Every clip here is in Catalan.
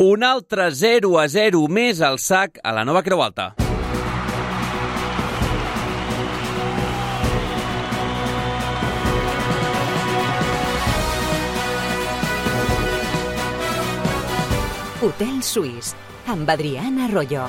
Un altre 0-0 més al sac a la Nova Creu Alta. Hotel Suís, amb Adrián Arroyo.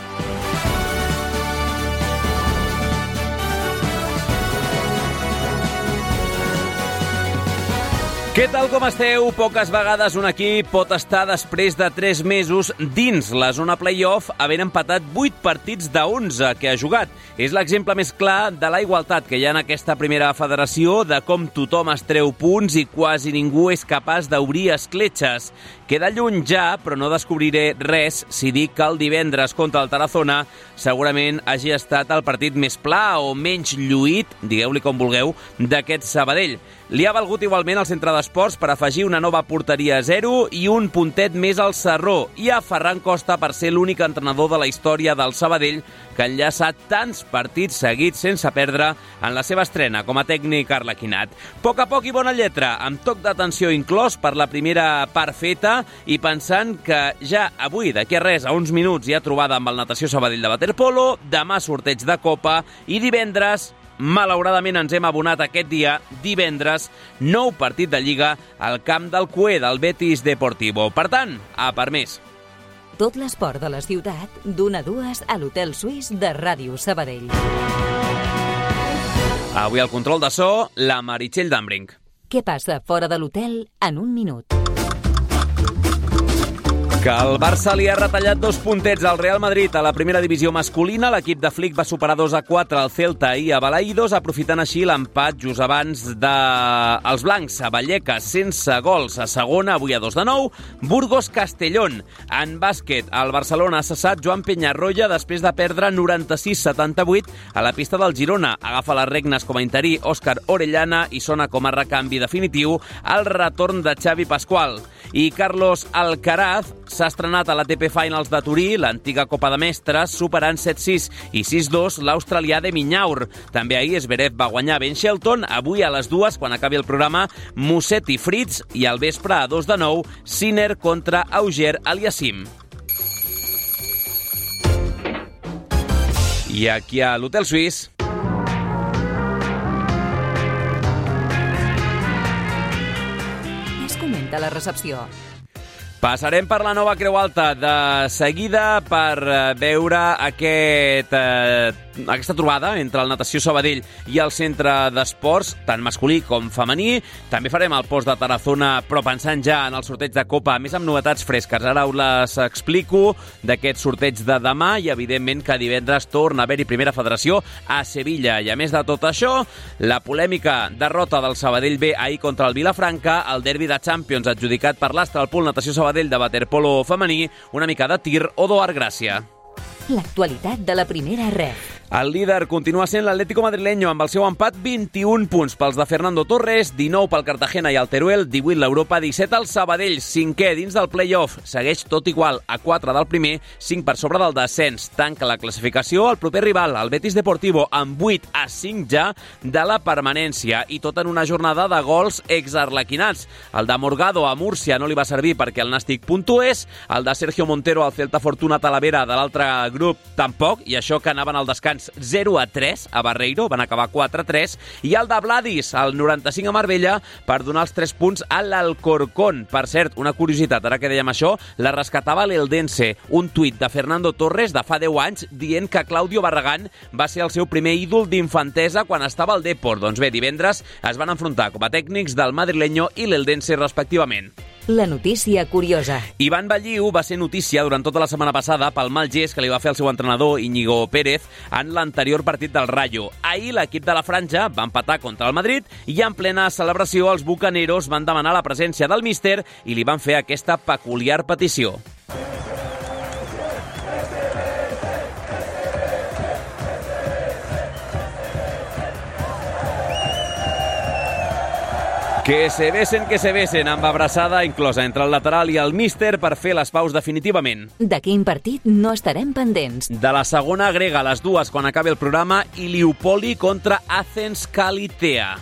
Què tal, com esteu? Poques vegades un equip pot estar després de 3 mesos dins la zona play-off havent empatat 8 partits de 11 que ha jugat. És l'exemple més clar de la igualtat que hi ha en aquesta primera federació, de com tothom es treu punts i quasi ningú és capaç d'obrir escletxes. Queda lluny ja, però no descobriré res si dic que el divendres contra el Tarazona segurament hagi estat el partit més pla o menys lluït, digueu-li com vulgueu, d'aquest Sabadell. Li ha valgut igualment al centre d'esports per afegir una nova porteria a 0 i un puntet més al Sarró, i a Ferran Costa per ser l'únic entrenador de la història del Sabadell que ha enllaçat tants partits seguits sense perdre en la seva estrena com a tècnic arlequinat. A poc i bona lletra, amb toc d'atenció inclòs per la primera part feta, i pensant que ja avui, d'aquí a res, a uns minuts, hi ha trobada amb el Natació Sabadell de waterpolo, demà sorteig de Copa i divendres, malauradament ens hem abonat aquest dia, divendres, nou partit de Lliga al camp del Cué, del Betis Deportivo. Per tant, a per més. Tot l'esport de la ciutat, d'1 a 2 a l'Hotel Suís de Ràdio Sabadell. Avui al control de so, la Meritxell Dambrink. Què passa fora de l'hotel en un minut? Que el Barça li ha retallat 2 puntets al Real Madrid a la primera divisió masculina. L'equip de Flick va superar 2-4 al Celta i a Balaïdos, aprofitant així l'empat just abans dels blancs. A Vallecas, sense gols a segona, avui a 2-9. Burgos-Castellón. En bàsquet, el Barcelona ha cessat Joan Peñarroya després de perdre 96-78 a la pista del Girona. Agafa les regnes com a interí Òscar Orellana i sona com a recanvi definitiu el retorn de Xavi Pascual. I Carlos Alcaraz s'ha estrenat a l'ATP Finals de Turí, l'antiga Copa de Mestres, superant 7-6 i 6-2 l'australià de Minyaur. També ahir Zverev va guanyar Ben Shelton. Avui a les 2, quan acabi el programa, Musetti Fritz, i al vespre a 2-9, Sinner contra Auger Aliassime. I aquí a l'Hotel Suís... Es comenta la recepció. Passarem per la Nova Creu Alta de seguida per veure aquesta trobada entre el Natació Sabadell i el centre d'esports, tant masculí com femení. També farem el post de Tarazona, però pensant ja en el sorteig de Copa, més amb novetats fresques. Ara us les explico d'aquest sorteig de demà i, evidentment, que divendres torna a haver-hi primera federació a Sevilla. I, a més de tot això, la polèmica derrota del Sabadell B ahir contra el Vilafranca, el derbi de Champions adjudicat per l'Astralpool Natació Sabadell de waterpolo femení, una mica de tir o d'Oar Gràcia. L'actualitat de la primera ref. El líder continua sent l'Atlético Madrileño amb el seu empat, 21 punts pels de Fernando Torres, 19 pel Cartagena i el Teruel, 18 l'Europa, 17 el Sabadell, 5è dins del play-off, segueix tot igual a 4 del primer, 5 per sobre del descens. Tanca la classificació el proper rival, el Betis Deportivo, amb 8 a 5 ja de la permanència, i tot en una jornada de gols exarlequinats. El de Morgado a Múrcia no li va servir perquè el Nàstic puntués, el de Sergio Montero al Celta Fortuna Talavera de l'altre grup tampoc, i això que anaven al descans 0-3 a Barreiro, van acabar 4-3, i el de Vladis, al 95 a Marbella, per donar els 3 punts a l'Alcorcón. Per cert, una curiositat, ara que dèiem això, la rescatava l'Eldense, un tuit de Fernando Torres de fa 10 anys dient que Claudio Barragán va ser el seu primer ídol d'infantesa quan estava al Depor. Doncs bé, divendres es van enfrontar com a tècnics del Madrileño i l'Eldense respectivament. La notícia curiosa. Ivan Balliu va ser notícia durant tota la setmana passada pel mal gest que li va fer el seu entrenador Íñigo Pérez en l'anterior partit del Rayo. Ahir l'equip de la Franja va empatar contra el Madrid i en plena celebració els bucaneros van demanar la presència del míster i li van fer aquesta peculiar petició. Que se besen, amb abraçada inclosa entre el lateral i el míster per fer les paus definitivament. De quin partit no estarem pendents? De la segona grega a les 2 quan acabi el programa, i Iliupoli contra Athens Kalitea.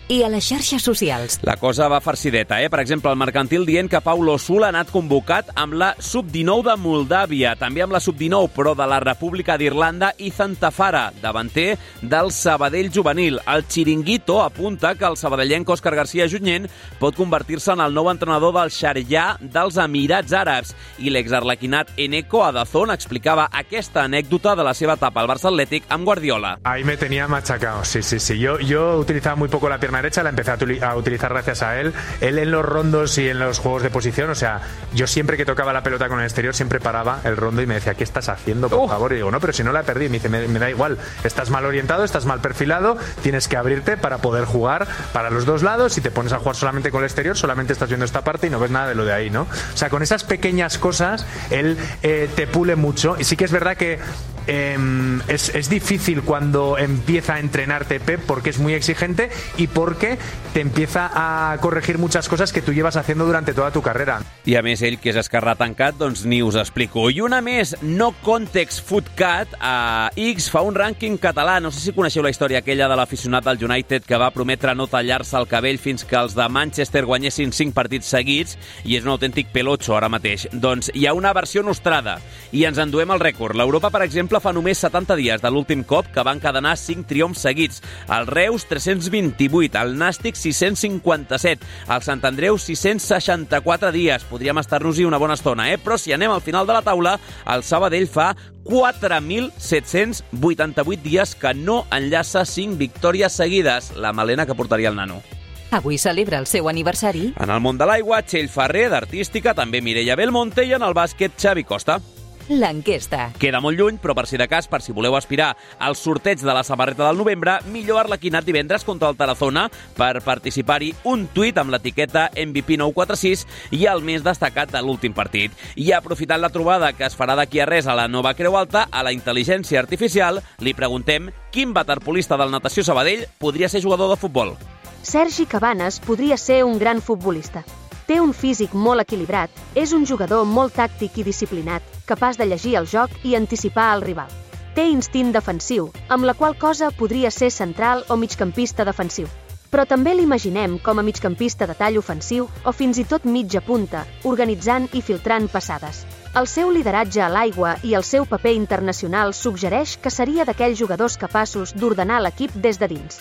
I a les xarxes socials. La cosa va farcideta, Per exemple, el Mercantil dient que Pau Losul ha anat convocat amb la Sub-19 de Moldàvia, també amb la Sub-19, però de la República d'Irlanda, i Tafara, davanter del Sabadell juvenil. El Chiringuito apunta que el sabadellenc Òscar García Junyent pot convertir-se en el nou entrenador del Sharjah dels Emirats Àrabs. I l'exarlequinat Eneco Adazón explicava aquesta anècdota de la seva etapa al Barça Atlètic amb Guardiola. Ahí me tenía machacado, sí. Yo utilizaba muy poco la pierna derecha, la empecé a utilizar gracias a él. Él en los rondos y en los juegos de posición, o sea, yo siempre que tocaba la pelota con el exterior siempre paraba el rondo y me decía, ¿qué estás haciendo, por favor? Y digo, no, pero si no la perdí. Me dice, me da igual, estás mal orientado, estás mal perfilado, tienes que abrirte para poder jugar para los dos lados. Si te pones a jugar solamente con el exterior, solamente estás viendo esta parte y no ves nada de lo de ahí, ¿no? O sea, con esas pequeñas cosas, él te pule mucho. Y sí que es verdad que es difícil cuando empieza a entrenarte Pep, porque es muy exigente y porque te empieza a corregir muchas cosas que tú llevas haciendo durante toda tu carrera. I a més, ell, que és esquerrà tancat, doncs ni us explico. I una més, No Context Footcat, a X fa un rànquing català. No sé si coneixeu la història aquella de l'aficionat del United que va prometre no tallar-se el cabell fins que els de Manchester guanyessin 5 partits seguits, i és un autèntic pelotxo ara mateix. Doncs hi ha una versió nostrada i ens enduem el rècord. L'Europa, per exemple, fa només 70 dies de l'últim cop que van encadenar 5 triomfs seguits. El Reus, 328, el Nàstic, 657, el Sant Andreu, 664 dies. Podríem estar-nos-hi una bona estona, Però si anem al final de la taula, el Sabadell fa 4.788 dies que no enllaça 5 victòries seguides. La melena que portaria el nano. Avui celebra el seu aniversari. En el món de l'aigua, Txell Ferrer, d'artística, també Mireia Belmonte, i en el bàsquet, Xavi Costa. L'enquesta. Queda molt lluny, però per si de cas, per si voleu aspirar al sorteig de la samarreta del novembre, millor Arlequinat divendres contra el Tarazona. Per participar-hi, un tuit amb l'etiqueta MVP946 i el més destacat de l'últim partit. I aprofitant la trobada que es farà d'aquí a res a la nova Creu Alta, a la intel·ligència artificial, li preguntem quin waterpolista del Natació Sabadell podria ser jugador de futbol. Sergi Cabanes podria ser un gran futbolista. Té un físic molt equilibrat, és un jugador molt tàctic i disciplinat, capaç de llegir el joc i anticipar el rival. Té instint defensiu, amb la qual cosa podria ser central o migcampista defensiu. Però també l'imaginem com a migcampista de tall ofensiu o fins i tot mitja punta, organitzant i filtrant passades. El seu lideratge a l'aigua i el seu paper internacional suggereix que seria d'aquells jugadors capaços d'ordenar l'equip des de dins.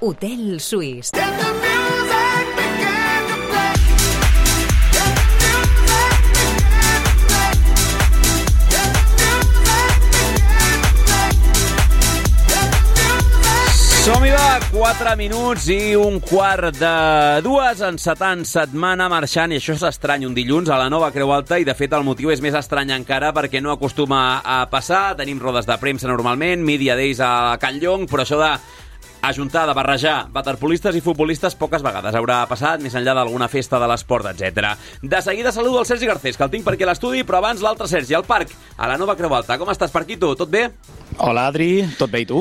Hotel Suís. Som-hi, va! 4 minuts i un quart de 2, encetant setmana marxant, i això és estrany, un dilluns a la nova Creu Alta, i de fet el motiu és més estrany encara perquè no acostuma a passar. Tenim rodes de premsa normalment, Media Days a Can Llong, però això de ajuntar, de barrejar waterpolistes i futbolistes poques vegades haurà passat, més enllà d'alguna festa de l'esport, etc. De seguida saludo el Sergi Garcés, que el tinc per aquí a l'estudi, però abans l'altre Sergi, al parc, a la nova Creu Alta. Com estàs, Parquito? Tot bé? Hola, Adri. Tot bé, i tu?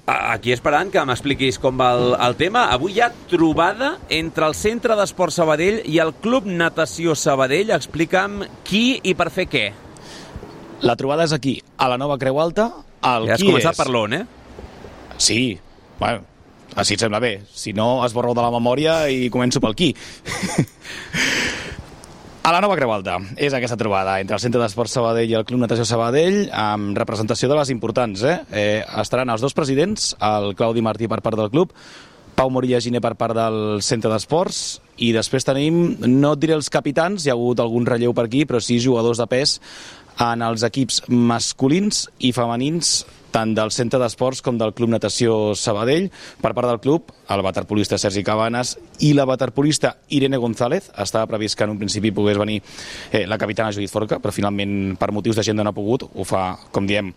Aquí esperant que m'expliquis com va el tema. Avui hi ha trobada entre el Centre d'Esport Sabadell i el Club Natació Sabadell. Explica'm qui i per fer què. La trobada és aquí, a la nova Creu Alta. Ja has començat per l'on, Sí, bueno, així et sembla bé. Si no, esborro de la memòria i començo pel qui. A la nova Creu Alta és aquesta trobada entre el Centre d'Esport Sabadell i el Club Natació Sabadell, amb representació de les importants. Estaran els dos presidents, el Claudi Martí per part del club, Pau Morilla Giner per part del Centre d'Esports, i després tenim, no et diré els capitans, hi ha hagut algun relleu per aquí, però sí jugadors de pes en els equips masculins i femenins, tant del Centre d'Esports com del Club Natació Sabadell. Per part del club, el waterpolista Sergi Cabanes i la waterpolista Irene González. Estava previst que en un principi pogués venir la capitana Judit Forca, però finalment per motius d'agenda no ha pogut. Ho fa, com diem,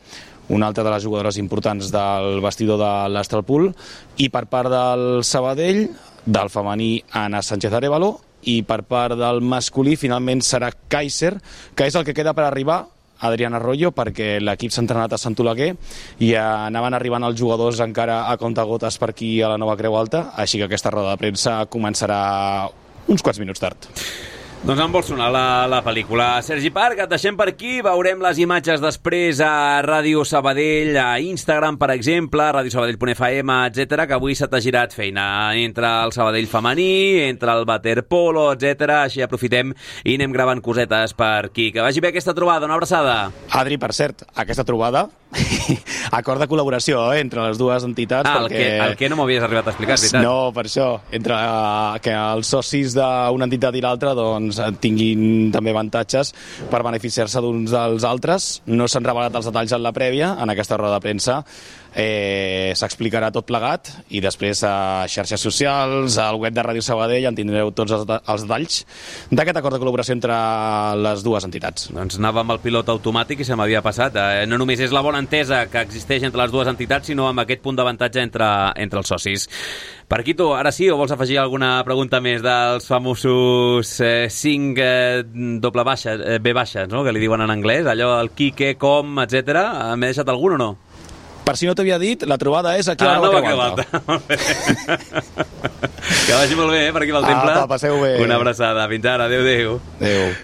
una altra de les jugadores importants del vestidor de l'Astralpool. I per part del Sabadell, del femení, Anna Sánchez Arévalo, i per part del masculí finalment serà Kaiser, que és el que queda per arribar, Adrián Arroyo, perquè l'equip s'ha entrenat a Sant Oleguer i anaven arribant els jugadors encara a comptagotes per aquí a la nova Creu Alta, així que aquesta roda de premsa començarà uns quants minuts tard. Doncs em vol sonar la pel·lícula. Sergi Parc, et deixem per aquí. Veurem les imatges després a Ràdio Sabadell, a Instagram, per exemple, radiosabadell.fm, etc, que avui se t'ha girat feina entre el Sabadell femení, entre el waterpolo, etc. Així aprofitem i anem gravant cosetes per aquí. Que vagi bé aquesta trobada. Una abraçada. Adri, per cert, aquesta trobada, acord de col·laboració entre les dues entitats. El que no m'havies arribat a explicar, és veritat. No, per això, entre que els socis d'una entitat i l'altra doncs tinguin també avantatges per beneficiar-se d'uns dels altres. No s'han revelat els detalls en la prèvia, en aquesta roda de premsa s'explicarà tot plegat i després a xarxes socials, al web de Ràdio Sabadell en tindreu tots els detalls d'aquest acord de col·laboració entre les dues entitats. Doncs anava amb el pilot automàtic i se m'havia passat. No només és la bona entesa que existeix entre les dues entitats, sinó amb aquest punt d'avantatge entre els socis. Parquito, ara sí, o vols afegir alguna pregunta més dels famosos 5 doble baixes, B baixes, no? Que li diuen en anglès, allò, el qui, què, com, etc. M'he deixat algun o no? Per si no t'havia dit, la trobada és aquí a la Nova Creualta. Que vagi molt bé, per aquí pel temple. Passeu bé. Una abraçada. Fins ara. Adéu.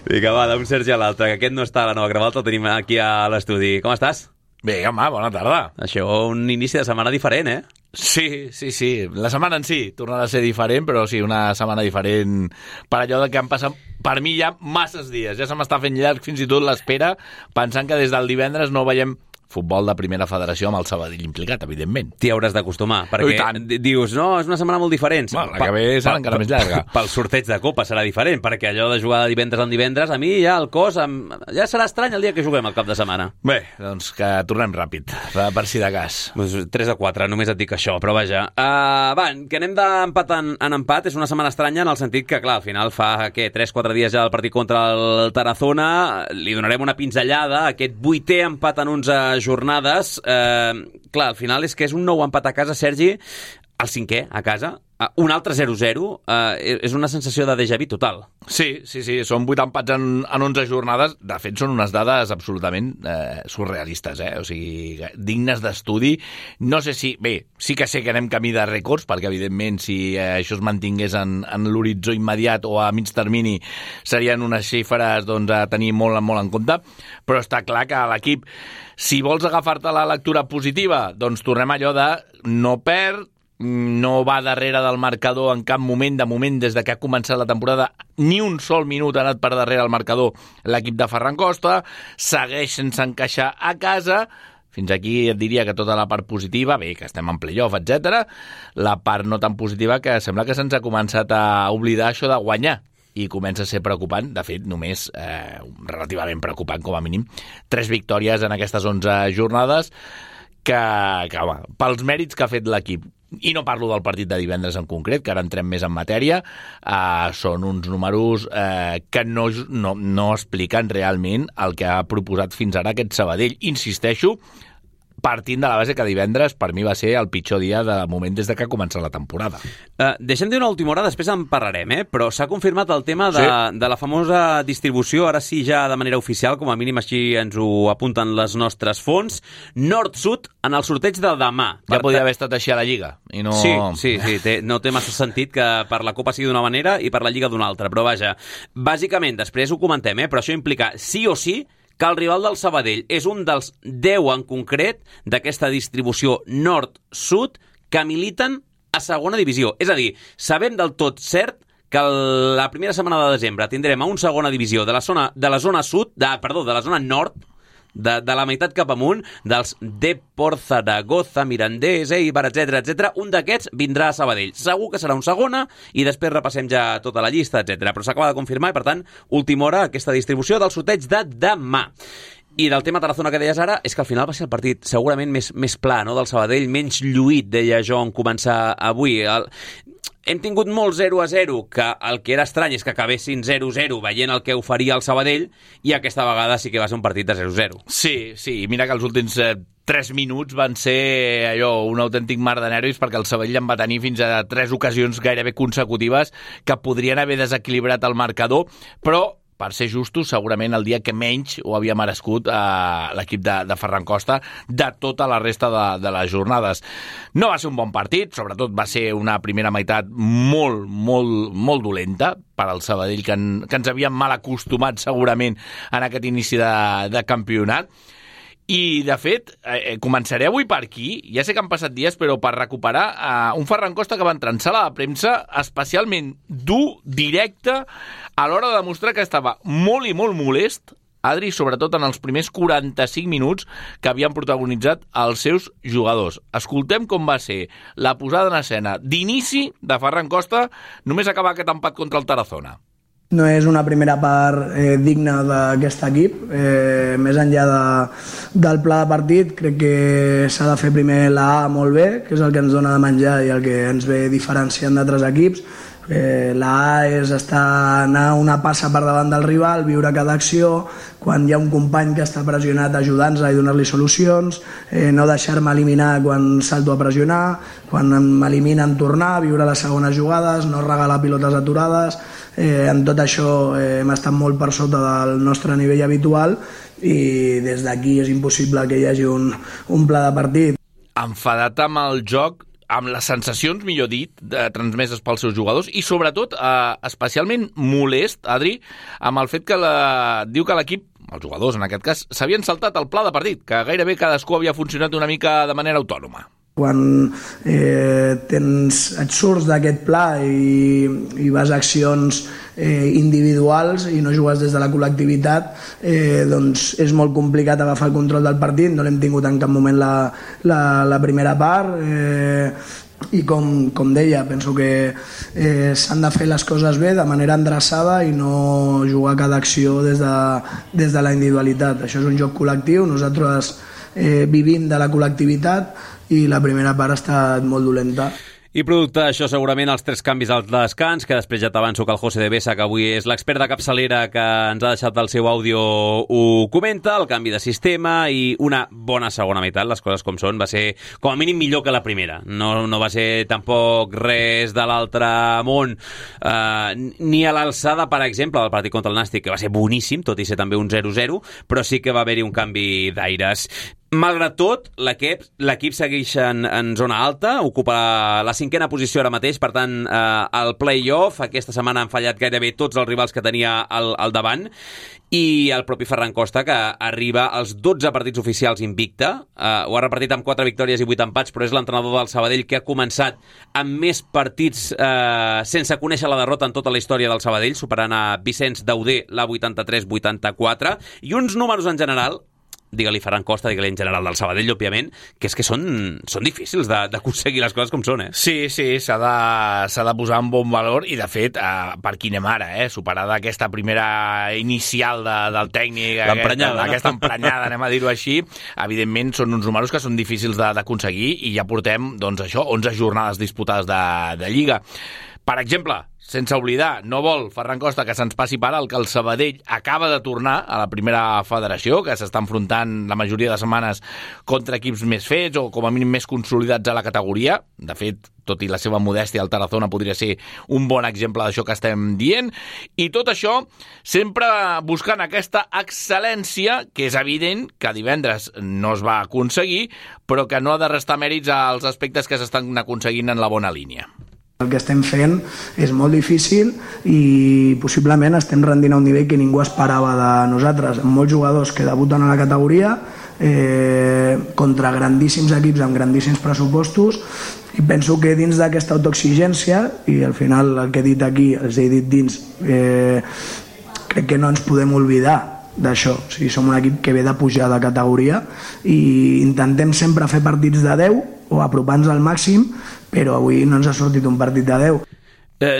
Vinga, va, d'un Sergi a l'altre, que aquest no està a la Nova Creualta, el tenim aquí a l'estudi. Com estàs? Bé, home, bona tarda. Això, un inici de setmana diferent, eh? Sí. La setmana en si tornarà a ser diferent, però sí, una setmana diferent per allò que han passat, per mi, ja masses dies. Ja se m'està fent llarg fins i tot l'espera, pensant que des del divendres no veiem futbol de primera federació amb el Sabadell implicat, evidentment. T'hi hauràs d'acostumar, perquè dius, no, és una setmana molt diferent. Bueno, la que ve serà encara més llarga. Pel sorteig de Copa serà diferent, perquè allò de jugar de divendres en divendres, a mi ja el cos, ja serà estrany el dia que juguem el cap de setmana. Bé, doncs que tornem ràpid, per si de cas. 3-4, només et dic això, però vaja. Va, que anem d'empat en empat, és una setmana estranya en el sentit que, clar, al final fa, 3-4 dies ja del partit contra el Tarazona, li donarem una pinzellada, aquest 8è empat en 11 jornades. Clar, al final és que és un nou empat a casa, Sergi, el 5è a casa, un altre 0-0, és una sensació de déjà vu total. Sí, són 8 empats en 11 jornades. De fet, són unes dades absolutament surrealistes, o sigui, dignes d'estudi. No sé si... Bé, sí que sé que anem camí de rècords, perquè, evidentment, si això es mantingués en l'horitzó immediat o a mig termini, serien unes xifres doncs, a tenir molt en compte, però està clar que l'equip, si vols agafar-te la lectura positiva, doncs tornem allò de no perd, no va darrere del marcador en cap moment, de moment, des de que ha començat la temporada, ni un sol minut ha anat per darrere el marcador l'equip de Ferran Costa, segueix sense encaixar a casa. Fins aquí et diria que tota la part positiva, bé, que estem en playoff, etc. La part no tan positiva que sembla que se'ns ha començat a oblidar això de guanyar i comença a ser preocupant, de fet, només relativament preocupant, com a mínim. 3 victòries en aquestes 11 jornades que home, pels mèrits que ha fet l'equip. I no parlo del partit de divendres en concret, que ara entrem més en matèria, són uns números que no expliquen realment el que ha proposat fins ara aquest Sabadell. Insisteixo, partint de la base que divendres per mi va ser el pitjor dia de moment des de que ha començat la temporada. Deixem dir una última hora, després en parlarem, però s'ha confirmat el tema de la famosa distribució, ara sí ja de manera oficial, com a mínim així ens ho apunten les nostres fonts, nord-sud en el sorteig de demà. Ja podria haver estat així a la Lliga. I no... Sí, no té massa sentit que per la Copa sigui d'una manera i per la Lliga d'una altra, però vaja, bàsicament, després ho comentem, però això implica sí o sí que el rival del Sabadell és un dels 10 en concret d'aquesta distribució nord-sud que militen a segona divisió. És a dir, sabem del tot cert que la primera setmana de desembre tindrem a un segona divisió de la zona nord, de la meitat cap amunt, dels Depor, Zaragoza, Mirandés, Eibar, etc. Un d'aquests vindrà a Sabadell. Segur que serà un segona i després repassem ja tota la llista, etc. Però s'acaba de confirmar i, per tant, última hora aquesta distribució del sorteig de demà. I del tema Tarazona que deies ara, és que al final va ser el partit segurament més pla, no?, del Sabadell, menys lluït, deia jo, en començar avui. Hem tingut molt 0-0, que el que era estrany és que acabessin 0-0 veient el que oferia el Sabadell, i aquesta vegada sí que va ser un partit de 0-0. Sí, mira que els últims 3 minuts van ser allò, un autèntic mar de nervis, perquè el Sabadell en va tenir fins a 3 ocasions gairebé consecutives que podrien haver desequilibrat el marcador, però per ser justos, segurament el dia que menys ho havia merescut l'equip de Ferran Costa de tota la resta de les jornades. No va ser un bon partit, sobretot va ser una primera meitat molt, molt, molt dolenta per al Sabadell, que ens havíem mal acostumat segurament en aquest inici de campionat. I, de fet, començaré avui per aquí. Ja sé que han passat dies, però per recuperar un Ferran Costa que va entrar en sala de premsa especialment dur, directe, a l'hora de demostrar que estava molt i molt molest, Adri, sobretot en els primers 45 minuts que havien protagonitzat els seus jugadors. Escoltem com va ser la posada en escena d'inici de Ferran Costa només acabar aquest empat contra el Tarazona. No és una primera part digna d'aquest equip. Més enllà del pla de partit, crec que s'ha de fer primer la A molt bé, que és el que ens dona de menjar i el que ens ve diferenciant d'altres equips. La A és anar una passa per davant del rival, viure cada acció, quan hi ha un company que està pressionat ajudant-nos i donar-li solucions, no deixar-me eliminar quan salto a pressionar, quan m'eliminen tornar, viure les segones jugades, no regalar pilotes aturades. En tot això hem estat molt per sota del nostre nivell habitual i des d'aquí és impossible que hi hagi un pla de partit. Enfadat amb el joc, amb les sensacions, millor dit, transmeses pels seus jugadors i, sobretot, especialment molest, Adri, amb el fet que diu que l'equip, els jugadors en aquest cas, s'havien saltat el pla de partit, que gairebé cadascú havia funcionat una mica de manera autònoma. Quan et surts d'aquest pla i vas a accions individuals i no jugues des de la col·lectivitat, doncs és molt complicat agafar el control del partit. No l'hem tingut en cap moment la primera part i com deia, penso que s'han de fer les coses bé de manera endreçada i no jugar cada acció des de la individualitat. Això és un joc col·lectiu, nosaltres vivim de la col·lectivitat i la primera part ha estat molt dolenta. I producte d'això segurament els 3 canvis al descans, que després ja t'avanço que el José de Besa, que avui és l'expert de capçalera que ens ha deixat el seu àudio, ho comenta, el canvi de sistema i una bona segona meitat, les coses com són, va ser com a mínim millor que la primera. No va ser tampoc res de l'altre món, ni a l'alçada, per exemple, del partit contra el Nàstic, que va ser boníssim, tot i ser també un 0-0, però sí que va haver-hi un canvi d'aires. Malgrat tot, l'equip segueix en zona alta, ocupa la 5a posició ara mateix, per tant, el play-off, aquesta setmana han fallat gairebé tots els rivals que tenia al davant, i el propi Ferran Costa, que arriba als 12 partits oficials invicte, ho ha repartit amb 4 victòries i 8 empats, però és l'entrenador del Sabadell que ha començat amb més partits sense conèixer la derrota en tota la història del Sabadell, superant a Vicenç Dauder la 83-84, i uns números en general, digue-li Ferran Costa, digue-li en general del Sabadell, òbviament, que és que són difícils d'aconseguir les coses com són, Sí, s'ha de posar en bon valor i, de fet, per qui anem ara, superada aquesta primera inicial del tècnic, aquesta emprenyada, anem a dir-ho així, evidentment són uns números que són difícils d'aconseguir i ja portem, doncs això, 11 jornades disputades de Lliga. Per exemple, sense oblidar, no vol Ferran Costa que se'ns passi per alt que el Sabadell acaba de tornar a la primera federació, que s'està enfrontant la majoria de setmanes contra equips més fets o com a mínim més consolidats a la categoria. De fet, tot i la seva modèstia, el Tarazona podria ser un bon exemple d'això que estem dient. I tot això sempre buscant aquesta excel·lència, que és evident que divendres no es va aconseguir, però que no ha de restar mèrits als aspectes que s'estan aconseguint en la bona línia. El que estem fent és molt difícil i possiblement estem rendint a un nivell que ningú esperava de nosaltres, amb molts jugadors que debuten a la categoria contra grandíssims equips amb grandíssims pressupostos, i penso que dins d'aquesta autoexigència, i al final el que he dit aquí els he dit dins, crec que no ens podem oblidar d'això. O sigui, som un equip que ve de pujar de categoria i intentem sempre fer partits de 10 o apropar-nos al màxim, però avui no ens ha sortit un partit de 10.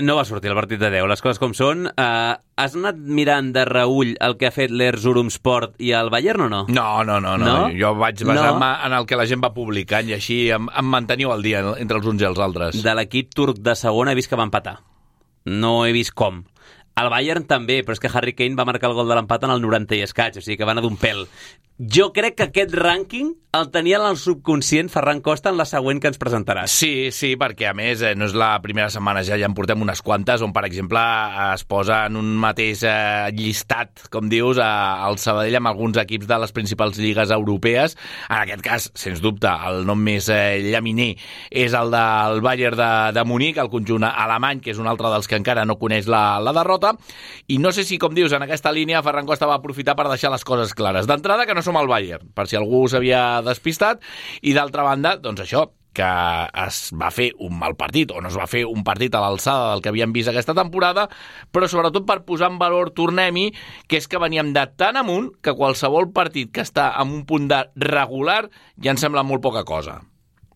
No va sortir el partit de 10, les coses com són. Has anat mirant de reüll el que ha fet l'Erzurumsport i el Bayern o no? No. Jo vaig basar-me en el que la gent va publicant i així em manteniu al dia entre els uns i els altres. De l'equip turc de segona he vist que va empatar. No he vist com. El Bayern també, però és que Harry Kane va marcar el gol de l'empat en el 90 i escaig, o sigui que va anar d'un pèl. Jo crec que aquest rànquing el tenia en el subconscient Ferran Costa en la següent que ens presentaràs. Sí, perquè a més no és la primera setmana, ja en portem unes quantes, on per exemple es posa en un mateix llistat, com dius, el Sabadell amb alguns equips de les principals lligues europees. En aquest cas, sens dubte, el nom més llaminer és el del Bayern de Munic, el conjunt alemany, que és un altre dels que encara no coneix la derrota, i no sé si, com dius, en aquesta línia Ferran Costa va aprofitar per deixar les coses clares. D'entrada, que no som el Bayern, per si algú s'havia despistat, i d'altra banda, doncs això, que es va fer un mal partit, o no es va fer un partit a l'alçada del que havíem vist aquesta temporada, però sobretot per posar en valor, tornem-hi, que és que veníem de tan amunt que qualsevol partit que està en un punt de regular ja ens sembla molt poca cosa.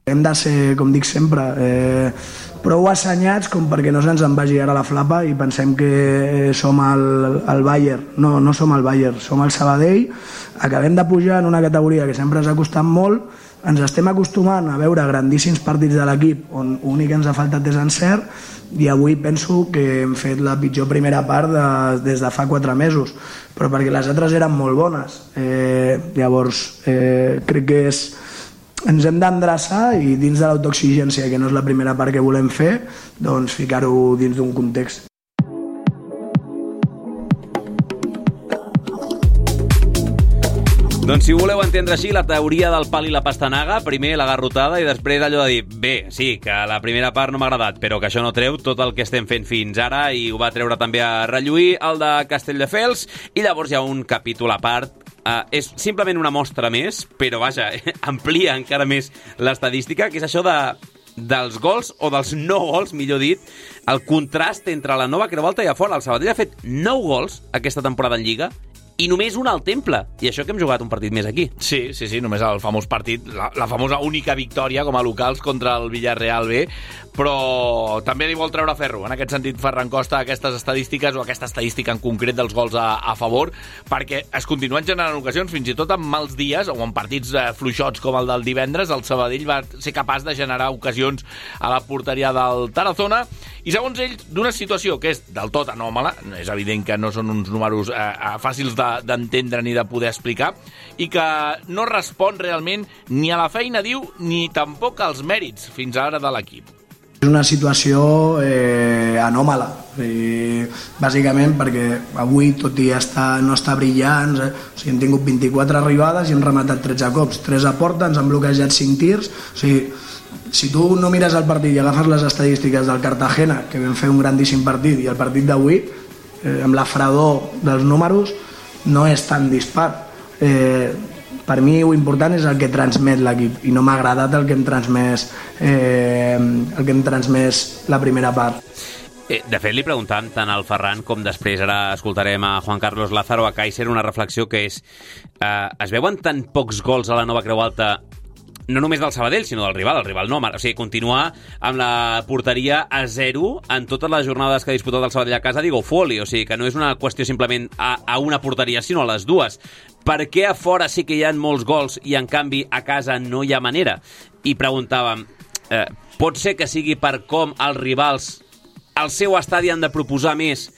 Hem de ser, com dic sempre, prou assenyats com perquè no se'ns en vagi ara la flapa i pensem que som el Bayern. No som el Bayern, som el Sabadell. Acabem de pujar en una categoria que sempre ens ha costat molt. Ens estem acostumant a veure grandíssims partits de l'equip on l'únic que ens ha faltat és encert, i avui penso que hem fet la pitjor primera part des de fa 4 mesos, però perquè les altres eren molt bones. Llavors, crec que ens hem d'endreçar i dins de l'autoexigència, que no és la primera part que volem fer, doncs ficar-ho dins d'un context. Doncs si voleu entendre així la teoria del pal i la pastanaga, primer la garrotada i després allò de dir, bé, sí, que la primera part no m'ha agradat, però que això no treu tot el que estem fent fins ara, i ho va treure també a relluir el de Castelldefels, i llavors hi ha un capítol a part. És simplement una mostra més, però vaja, amplia encara més l'estadística, que és això dels gols o dels no gols, millor dit, el contrast entre la Nova Creu Alta i a fora. El Sabadell ha fet 9 gols aquesta temporada en Lliga i només un al Temple, i això que hem jugat un partit més aquí. Sí, només el famós partit, la famosa única victòria com a locals contra el Villarreal B, però també li vol treure ferro, en aquest sentit, Ferran Costa, aquestes estadístiques, o aquesta estadística en concret dels gols a favor, perquè es continuen generant ocasions, fins i tot en mals dies, o en partits fluixots com el del divendres, el Sabadell va ser capaç de generar ocasions a la porteria del Tarazona, i segons ells, d'una situació que és del tot anòmala, és evident que no són uns números fàcils d'entendre ni de poder explicar, i que no respon realment ni a la feina, diu, ni tampoc als mèrits fins ara de l'equip. És una situació anòmala, bàsicament perquè avui, tot i no estar brillants, hem tingut 24 arribades i hem rematat 13 cops, 3 a porta, ens han bloquejat 5 tirs, o sigui, si tu no mires el partit i agafes les estadístiques del Cartagena, que vam fer un grandíssim partit, i el partit d'avui, amb la fredor dels números, no és tan dispar. Per mi el important és el que transmet l'equip, i no m'ha agradat el que hem transmès la primera part. De fet, li preguntàvem tant al Ferran com després ara escoltarem a Juan Carlos Lázaro, a Kaiser, una reflexió que és es veuen tan pocs gols a la Nova Creu Alta, no només del Sabadell, sinó del rival, el rival no, o sigui, continuar amb la porteria a 0 en totes les jornades que ha disputat el Sabadell a casa, digo, folli, o sigui, que no és una qüestió simplement a una porteria, sinó a les dues. Per què a fora sí que hi ha molts gols i en canvi a casa no hi ha manera? I preguntàvem, pot ser que sigui per com els rivals al seu estadi han de proposar més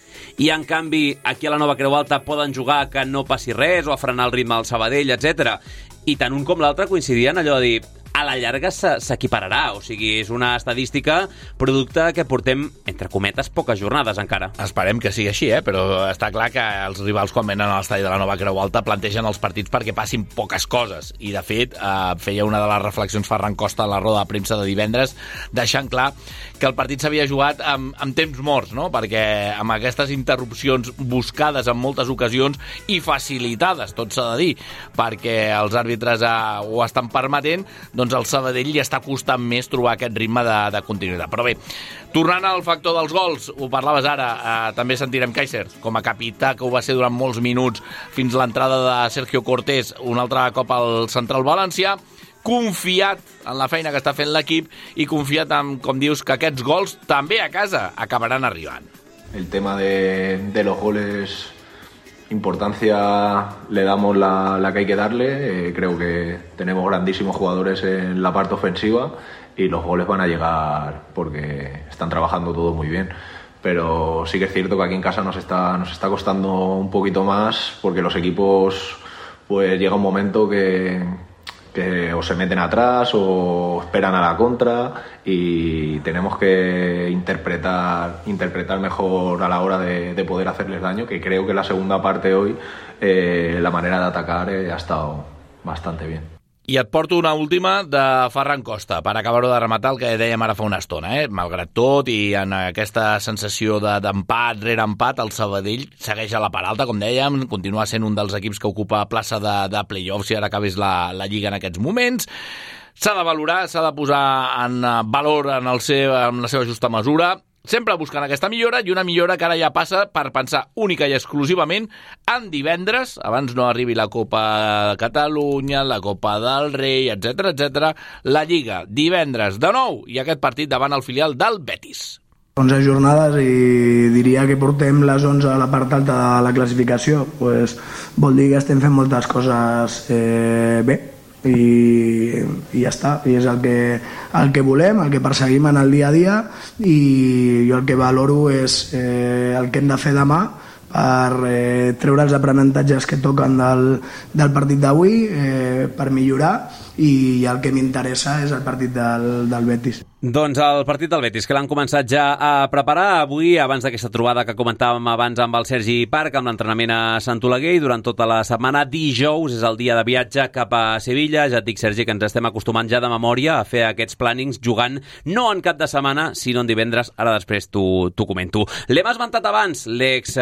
i en canvi aquí a la Nova Creu Alta poden jugar que no passi res o a frenar el ritme del Sabadell, etc. I tant un com l'altre coincidien allò de dir, a la llarga s'equipararà, o sigui, és una estadística producte que portem, entre cometes, poques jornades encara. Esperem que sigui així, però està clar que els rivals quan venen a l'estadi de la Nova Creu Alta plantegen els partits perquè passin poques coses, i de fet feia una de les reflexions Ferran Costa a la roda de premsa de divendres, deixant clar que el partit s'havia jugat amb temps morts, no? Perquè amb aquestes interrupcions buscades en moltes ocasions i facilitades, tot s'ha de dir, perquè els àrbitres ho estan permetent, doncs el Sabadell li està costant més trobar aquest ritme de continuïtat. Però bé, tornant al factor dels gols, ho parlaves ara, també sentirem Kaiser com a capità, que ho va ser durant molts minuts fins l'entrada de Sergio Cortés, un altre cop al central valencià, confiat en la feina que està fent l'equip i confiat en, com dius, que aquests gols també a casa acabaran arribant. El tema de los goles, importancia le damos la que hay que darle. Creo que tenemos grandísimos jugadores en la parte ofensiva y los goles van a llegar porque están trabajando todos muy bien. pero sí que es cierto que aquí en casa nos está costando un poquito más, porque los equipos, pues llega un momento que o se meten atrás o esperan a la contra, y tenemos que interpretar mejor a la hora de poder hacerles daño, que creo que la segunda parte hoy la manera de atacar ha estado bastante bien. I et porto una última de Ferran Costa, per acabar-ho de rematar el que dèiem ara fa una estona. Malgrat tot, i en aquesta sensació d'empat rere empat, el Sabadell segueix a la part alta, com dèiem, continua sent un dels equips que ocupa plaça de play-offs si ara acabés la Lliga en aquests moments. S'ha de valorar, s'ha de posar en valor en la seva justa mesura, sempre buscant aquesta millora, i una millora que ara ja passa per pensar única i exclusivament en divendres, abans no arribi la Copa de Catalunya, la Copa del Rei, etc., la Lliga, divendres de nou, i aquest partit davant el filial del Betis. 11 jornades i diria que portem les 11 a la part alta de la classificació. Pues, vol dir que estem fent moltes coses bé, i ja està, i és el que volem, el que perseguim en el dia a dia, i jo el que valoro és el que hem de fer demà per treure els aprenentatges que toquen del partit d'avui, per millorar, i el que m'interessa és el partit del Betis. Doncs el partit del Betis, que l'han començat ja a preparar avui, abans d'aquesta trobada que comentàvem abans amb el Sergi Parc, amb l'entrenament a Sant Oleguer, i durant tota la setmana. Dijous és el dia de viatge cap a Sevilla. Ja et dic, Sergi, que ens estem acostumant ja de memòria a fer aquests plànings jugant no en cap de setmana, sinó en divendres. Ara després t'ho comento. L'hem esmentat abans, l'ex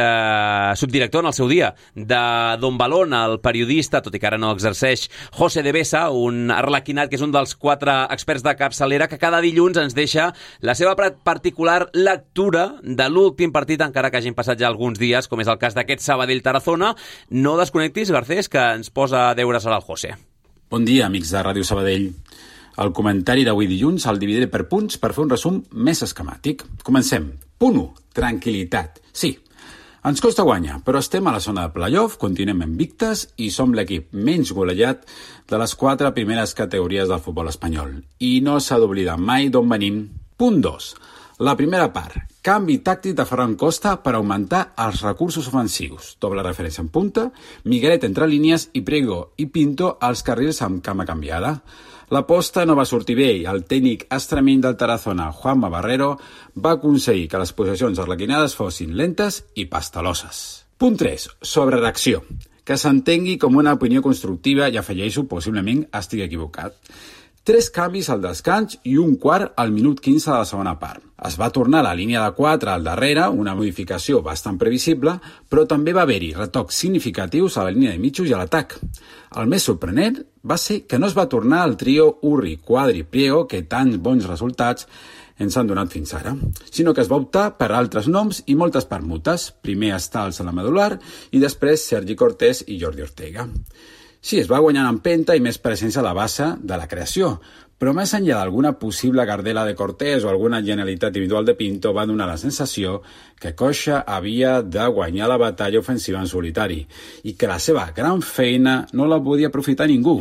subdirector en el seu dia de Don Balón, el periodista, tot i que ara no exerceix, José de Besa, un arlequinat que és un dels 4 experts de capçalera, que cada dilluns ens deixa la seva particular lectura de l'últim partit, encara que hagin passat ja alguns dies, com és el cas d'aquest Sabadell-Tarazona. No desconnectis, Garcés, que ens posa a deures ara el José. Bon dia, amics de Ràdio Sabadell. El comentari d'avui dilluns el dividiré per punts per fer un resum més esquemàtic. Comencem. Punt 1. Tranquil·litat. Sí, ens costa guanyar, però estem a la zona de playoff, continuem invictes i som l'equip menys golejat de les 4 primeres categories del futbol espanyol. I no s'ha d'oblidar mai d'on venim. Punt 2. La primera part. Canvi tàctic de Ferran Costa per augmentar els recursos ofensius. Doble referència en punta, Miguelet entre línies i Priego i Pinto als carrils amb cama canviada. L'aposta no va sortir bé i el tècnic extremeny del Tarazona, Juanma Barrero, va aconseguir que les possessions arlequinades fossin lentes i pasteloses. Punt 3. Sobre reacció. Que s'entengui com una opinió constructiva i afegeixo, possiblement estigui equivocat. 3 canvis al descans i un quart al minut 15 de la segona part. Es va tornar a la línia de 4 al darrere, una modificació bastant previsible, però també va haver-hi retocs significatius a la línia de mitjos i a l'atac. El més sorprenent va ser que no es va tornar al trio Urri, Quadri, Priego, que tants bons resultats ens han donat fins ara, sinó que es va optar per altres noms i moltes permutes, primer Stals a la medular i després Sergi Cortés i Jordi Ortega. Sí, es va guanyant empenta i més presència a la base de la creació, però més enllà d'alguna possible gardela de Cortés o alguna genialitat individual de Pinto va donar la sensació que Coixa havia de guanyar la batalla ofensiva en solitari i que la seva gran feina no la podia aprofitar ningú,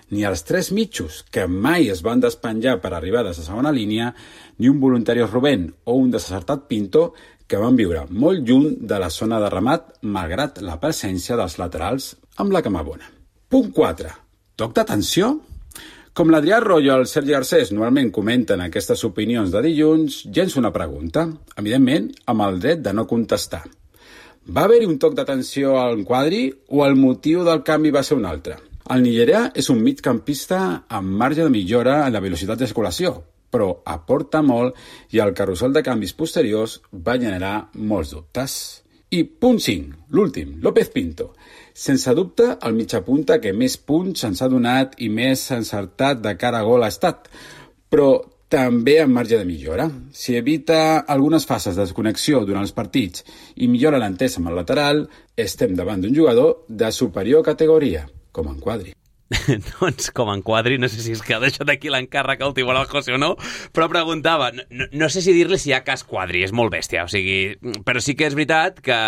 ni els 3 mitjos que mai es van despenjar per arribar des de segona línia, ni un voluntari Rubén o un desacertat Pinto que van viure molt lluny de la zona de remat malgrat la presència dels laterals amb la cama bona. Punt 4. Toc d'atenció? Com l'Adrià Royo i el Sergi Garcés normalment comenten aquestes opinions de dilluns, llenço una pregunta, evidentment amb el dret de no contestar. Va haver-hi un toc d'atenció al Quadri o el motiu del canvi va ser un altre? El nigerià és un migcampista amb marge de millora en la velocitat de circulació, però aporta molt i el carrusel de canvis posteriors va generar molts dubtes. I punt 5, l'últim, López Pinto. Sense dubte, el mitjapunta que més punts ens ha donat i més encertat de cara a gol ha estat, però també amb marge de millora. Si evita algunes fases de desconnexió durant els partits i millora l'entesa amb el lateral, estem davant d'un jugador de superior categoria, com en Quadri. Doncs com en Quadri, no sé si és que ha deixat aquí l'encàrrec al Tibor al José o no, però preguntava, no sé si dir-li si hi ha cas Quadri, és molt bèstia, o sigui, però sí que és veritat que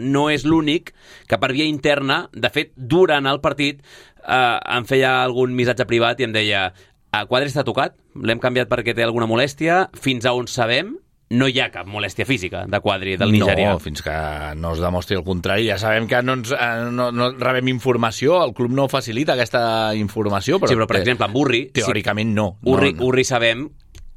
no és l'únic que per via interna, de fet, durant el partit, em feia algun missatge privat i em deia, Quadri està tocat, l'hem canviat perquè té alguna molèstia, fins a on sabem, no hi ha cap molèstia física de Quadri, del nigerià. No, fins que no es demostri el contrari. Ja sabem que no rebem informació, el club no facilita aquesta informació. Però per exemple, amb Urri... Teòricament no. Urri sabem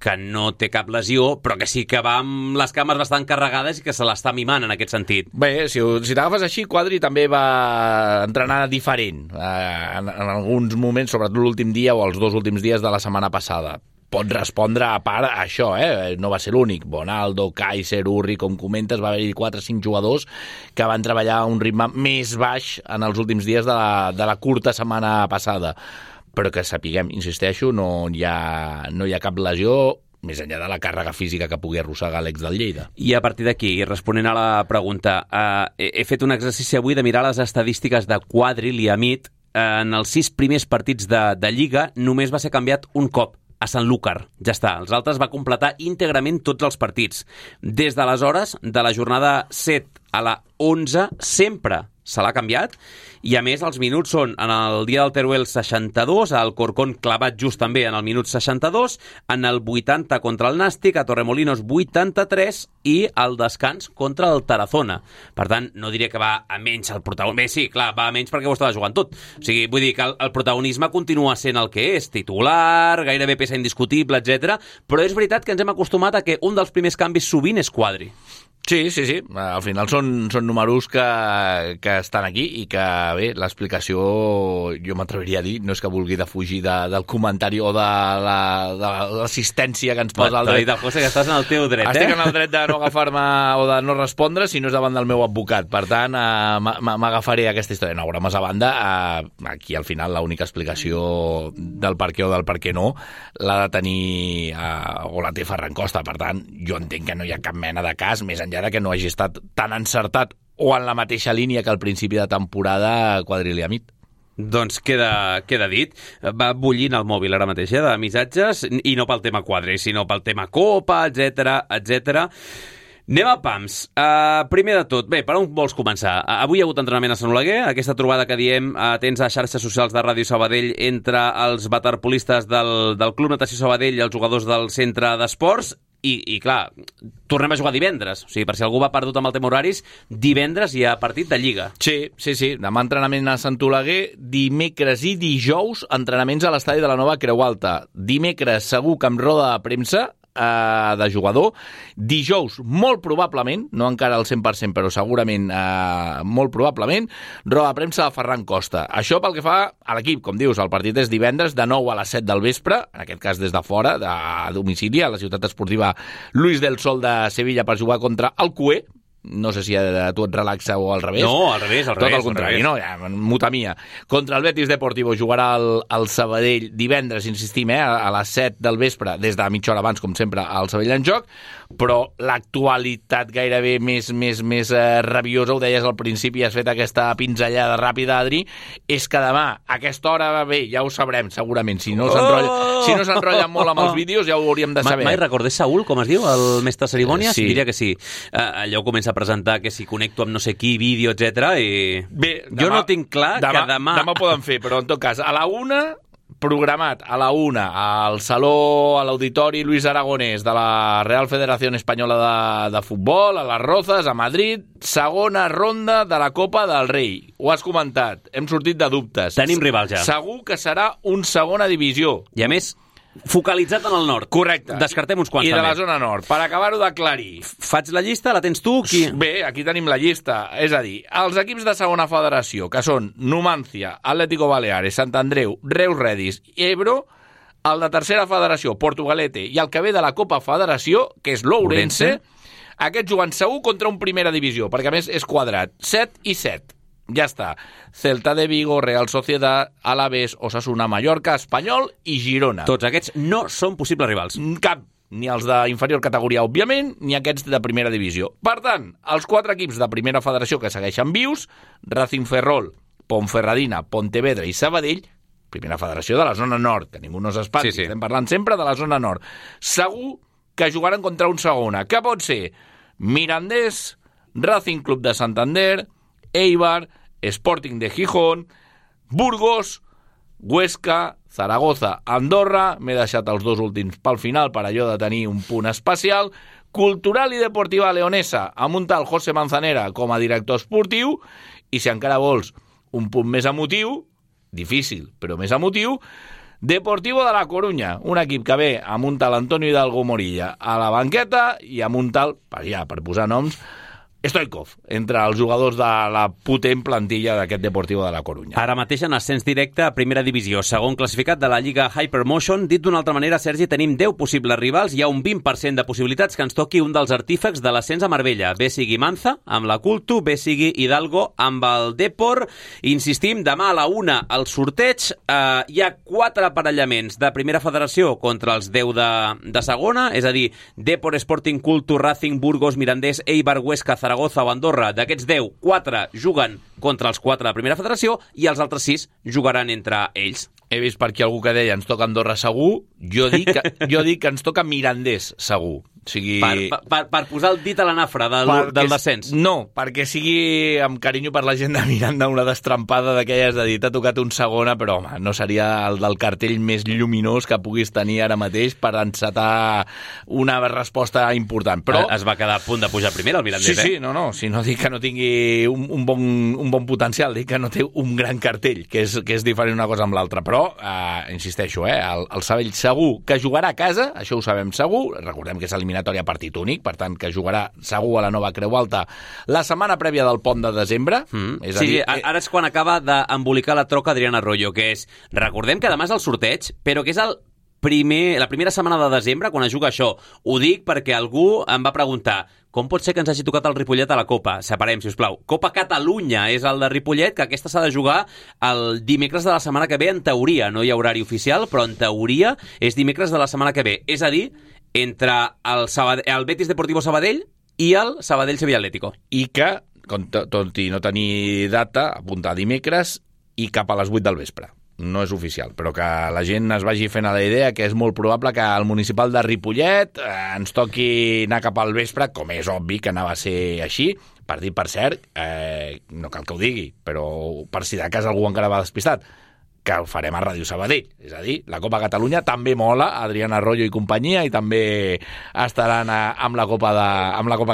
que no té cap lesió, però que sí que va amb les cames bastant carregades i que se l'està mimant en aquest sentit. Bé, si t'agafes així, Quadri també va entrenar diferent en alguns moments, sobretot l'últim dia o els 2 últims dies de la setmana passada. Pot respondre a part a això, no va ser l'únic. Bonaldo, Kaiser, Urri, com comentes, va haver-hi 4 o 5 jugadors que van treballar a un ritme més baix en els últims dies de la curta setmana passada. Però que sapiguem, insisteixo, no hi ha cap lesió més enllà de la càrrega física que pugui arrossegar l'ex del Lleida. I a partir d'aquí, responent a la pregunta, he fet un exercici avui de mirar les estadístiques de Quadri, Liamit. En els 6 primers partits de Lliga només va ser canviat un cop, a Sanlúcar. Ja està. Els altres va completar íntegrament tots els partits. Des d'aleshores, de la jornada 7 a la 11, sempre se l'ha canviat, i a més els minuts són en el dia del Teruel 62, al Corcón clavat just també en el minut 62, en el 80 contra el Nàstic, a Torremolinos 83 i al descans contra el Tarazona. Per tant, no diré que va a menys el protagonisme. Bé, sí, clar, va a menys perquè ho estava jugant tot. O sigui, vull dir que el protagonisme continua sent el que és, titular, gairebé peça indiscutible, etc. Però és veritat que ens hem acostumat a que un dels primers canvis sovint és Quadri. Sí. Al final són números que estan aquí i que, bé, l'explicació, jo m'atreviria a dir, no és que vulgui defugir del comentari o de l'assistència que ens posa el dret. David José, que estàs en el teu dret, Estic en el dret de no agafar-me o de no respondre si no és davant del meu advocat. Per tant, m'agafaré aquesta història. No, bromes a banda, aquí al final l'única explicació del per què o del per què no l'ha de tenir o la té Ferran Costa. Per tant, jo entenc que no hi ha cap mena de cas, més enllà que no hagi estat tan encertat o en la mateixa línia que al principi de temporada Quadri Liamit. Doncs queda dit. Va bullint el mòbil ara mateix de missatges, i no pel tema Quadri, sinó pel tema Copa, etc. Anem a pams. Primer de tot, bé, per on vols començar? Avui hi ha hagut entrenament a Sant Oleguer, aquesta trobada que diem atents a xarxes socials de Ràdio Sabadell entre els waterpolistes del Club Natació Sabadell i els jugadors del centre d'esports. I clar, tornem a jugar divendres. O sigui, per si algú va perdut amb el tema horaris, divendres hi ha partit de Lliga. Sí. Demà entrenament a Sant Oleguer, dimecres i dijous entrenaments a l'estadi de la Nova Creu Alta. Dimecres segur que amb roda de premsa de jugador. Dijous, molt probablement, no encara al 100%, però segurament molt probablement, roda de premsa de Ferran Costa. Això pel que fa a l'equip, com dius, el partit és divendres de 9 a les 7 del vespre, en aquest cas des de fora, de domicili, a la ciutat esportiva Luis del Sol de Sevilla per jugar contra el CUE. No sé si a tu et relaxa o al revés. No, al revés. Tot el contrari, no? Ja, mutamia. Contra el Betis Deportivo jugarà el Sabadell divendres, insistim, a les 7 del vespre, des de mitja hora abans, com sempre, al Sabadell en joc, però l'actualitat gairebé més rabiosa, ho deies al principi, has fet aquesta pinzellada ràpida, Adri, és que demà, a aquesta hora, bé, ja ho sabrem, segurament. Si no s'enrotlla molt amb els vídeos, ja ho hauríem de saber. Mai recordés Saúl, com es diu, el mestre cerimònies? Sí. Diria que sí. Allò comença a presentar que si connecto amb no sé qui, vídeo, etc. I bé, jo no tinc clar que demà... Demà poden fer, però en tot cas, a la 1, programat a la 1, al saló, a l'auditori Luis Aragonès de la Real Federación Espanyola de Futbol, a les Rozas, a Madrid, segona ronda de la Copa del Rei. Ho has comentat, hem sortit de dubtes. Tenim rival ja. Segur que serà un segona divisió. I a més, focalitzat en el nord. Correcte. Descartem uns quants I de també. la zona nord. Per acabar-ho d'aclarir. Faig la llista, la tens tu? Qui? Bé, aquí tenim la llista. És a dir, els equips de segona federació, que són Numancia, Atlético Baleares, Sant Andreu, Reus Redis i Ebro, el de tercera federació, Portugalete, i el que ve de la Copa Federació, que és l'Ourense, aquests juguen segur contra un primera divisió, perquè a més és quadrat. 7 i 7. Ja està. Celta de Vigo, Real Sociedad, Alavés, Osasuna, Mallorca, Espanyol i Girona. Tots aquests no són possibles rivals. Cap. Ni els d'inferior categoria, òbviament, ni aquests de primera divisió. Per tant, els 4 equips de primera federació que segueixen vius, Racing Ferrol, Ponferradina, Pontevedra i Sabadell, primera federació de la zona nord, que ningú no s'espanti, sí. Estem parlant sempre de la zona nord. Segur que jugaran contra un segona. Què pot ser? Mirandés, Racing Club de Santander, Eibar, Sporting de Gijón, Burgos, Huesca, Zaragoza, Andorra, m'he deixat els 2 últims pel final per allò de tenir un punt especial, Cultural i Deportiva Leonesa, amb un tal José Manzanera com a director esportiu, i si encara vols un punt més emotiu, difícil, però més emotiu, Deportivo de la Coruña, un equip que ve amb un tal Antonio Hidalgo Morilla a la banqueta i amb un tal, per posar noms, Stoikov, entre els jugadors de la potent plantilla d'aquest Deportivo de la Coruña. Ara mateix en ascens directe a primera divisió, segon classificat de la Lliga Hypermotion. Dit d'una altra manera, Sergi, tenim 10 possibles rivals. Hi ha un 20% de possibilitats que ens toqui un dels artífecs de l'ascens a Marbella. Bé sigui Manza, amb la Cultu, bé sigui Hidalgo, amb el Depor. Insistim, demà a la 1 al sorteig. Hi ha 4 aparellaments de primera federació contra els 10 de segona, és a dir, Depor, Sporting, Cultu, Racing, Burgos, Mirandés, Eibar, Huesca, Zaragoza o Andorra. D'aquests 10, 4 juguen contra els 4 de primera federació i els altres 6 jugaran entre ells. He vist per aquí algú que deia ens toca Andorra segur, jo dic que ens toca Mirandés segur. O sigui... Per posar el dit a la nafra del descens. No, perquè sigui amb carinyo per la gent de Miranda una destrampada d'aquelles de dir t'ha tocat un segona, però home, no seria el del cartell més lluminós que puguis tenir ara mateix per encetar una resposta important. Però es va quedar a punt de pujar primer el Mirandés, sí, no, si no dic que no tingui un bon potencial, dic que no té un gran cartell, que és diferent una cosa amb l'altra, però insisteixo, el Sabadell segur que jugarà a casa, això ho sabem segur, recordem que és eliminatòria partit únic, per tant que jugarà segur a la Nova Creu Alta la setmana prèvia del pont de desembre. És a dir, ara és quan acaba d'embolicar la troca Adrián Arroyo, que és, recordem que demà és el sorteig, però que és la primera setmana de desembre quan es juga això. Ho dic perquè algú em va preguntar com pot ser que ens hagi tocat el Ripollet a la Copa? Separem, sisplau. Copa Catalunya és el de Ripollet, que aquesta s'ha de jugar el dimecres de la setmana que ve, en teoria. No hi ha horari oficial, però en teoria és dimecres de la setmana que ve. És a dir, entre el Betis Deportivo Sabadell i el Sabadell Sevilla Atlético. I que, tot i no tenir data, apuntar dimecres i cap a les 8 del vespre. No és oficial, però que la gent es vagi fent a la idea que és molt probable que el municipal de Ripollet ens toqui anar cap al vespre, com és obvi que anava a ser així, per dir, per cert, no cal que ho digui, però per si de cas algú encara va despistat, que ho farem a Ràdio Sabadell. És a dir, la Copa Catalunya també mola, Adrián Arroyo i companyia, i també estaran amb la Copa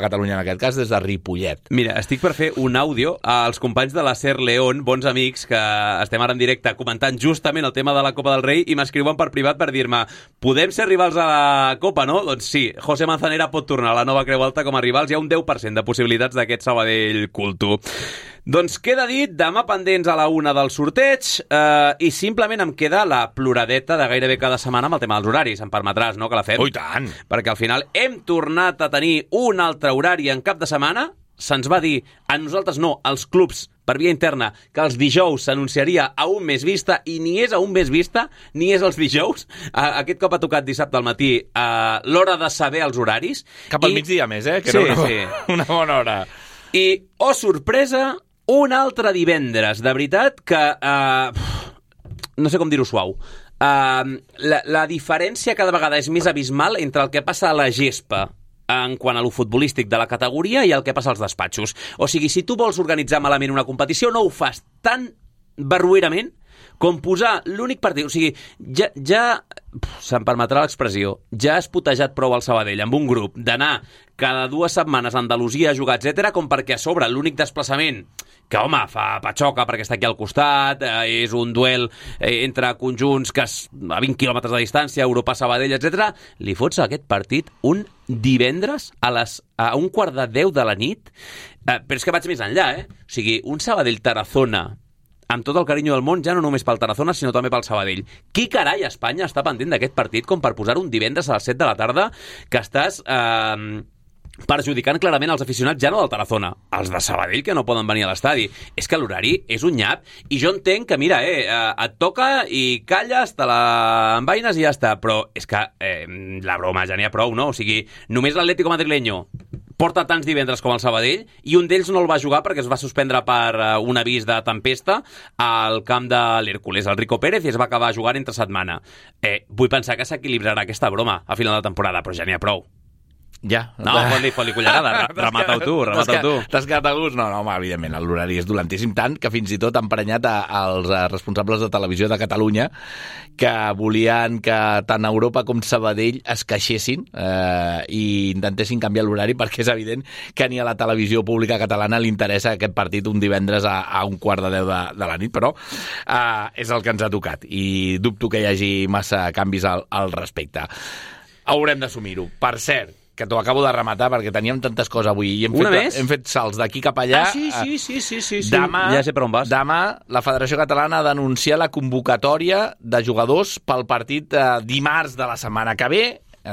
Catalunya, en aquest cas, des de Ripollet. Mira, estic per fer un àudio als companys de la SER León, bons amics, que estem ara en directe comentant justament el tema de la Copa del Rei, i m'escriuen per privat per dir-me podem ser rivals a la Copa, no? Doncs sí, José Manzanera pot tornar a la Nova Creu Alta com a rivals. Hi ha un 10% de possibilitats d'aquest Sabadell Cultu. Doncs queda dit, demà pendents a la 1 del sorteig, i simplement em queda la ploradeta de gairebé cada setmana amb el tema dels horaris. Em permetràs, no?, que la fem. Oh, i tant! Perquè al final hem tornat a tenir un altre horari en cap de setmana. Se'ns va dir, a nosaltres no, als clubs, per via interna, que els dijous s'anunciaria a un més vista, i ni és a un més vista, ni és els dijous. Aquest cop ha tocat dissabte al matí l'hora de saber els horaris. Cap al migdia més, que sí, era una bona hora. I, oh sorpresa, un altre divendres, de veritat que... no sé com dir-ho suau. La diferència cada vegada és més abismal entre el que passa a la gespa en quant a lo futbolístic de la categoria i el que passa als despatxos. O sigui, si tu vols organitzar malament una competició, no ho fas tan barruerament com posar l'únic partit. O sigui, ja se'm permetrà l'expressió, ja has putejat prou al Sabadell amb un grup d'anar cada 2 setmanes a Andalusia a jugar, etc., com perquè a sobre l'únic desplaçament que, home, fa patxoca perquè està aquí al costat, és un duel entre conjunts que a 20 quilòmetres de distància, Europa-Sabadell, etc., li fots aquest partit un divendres a 1:15 de la nit, però és que vaig més enllà, O sigui, un Sabadell-Tarazona, amb tot el carinyo del món, ja no només pel Tarazona, sinó també pel Sabadell. Qui carai a Espanya està pendent d'aquest partit com per posar un divendres a les 7 de la tarda que estàs perjudicant clarament els aficionats ja no del Tarazona, els de Sabadell que no poden venir a l'estadi? És que l'horari és un nyap, i jo entenc que, mira, et toca i calles, te la envaines i ja està, però és que la broma ja n'hi ha prou, no? O sigui, només l'Atlético Madrileño porta tants divendres com el Sabadell, i un d'ells no el va jugar perquè es va suspendre per un avís de tempesta al camp de l'Hércules, el Rico Pérez, i es va acabar jugant entre setmana. Vull pensar que s'equilibrarà aquesta broma a final de temporada, però ja n'hi ha prou. Ja. No, fot-li cullerada, remata-ho tu. T'has quedat a gust? No, home, evidentment, l'horari és dolentíssim, tant que fins i tot han prenyat als responsables de Televisió de Catalunya que volien que tant Europa com Sabadell es queixessin i intentessin canviar l'horari, perquè és evident que ni a la televisió pública catalana li interessa aquest partit un divendres a 11:45 de la nit, però és el que ens ha tocat i dubto que hi hagi massa canvis al respecte. Haurem d'assumir-ho. Per cert, que t'ho acabo de rematar perquè teníem tantes coses avui i hem fet salts d'aquí cap allà. Sí. Demà, ja sé per on vas. Demà la Federació Catalana ha d'anunciar la convocatòria de jugadors pel partit dimarts de la setmana que ve,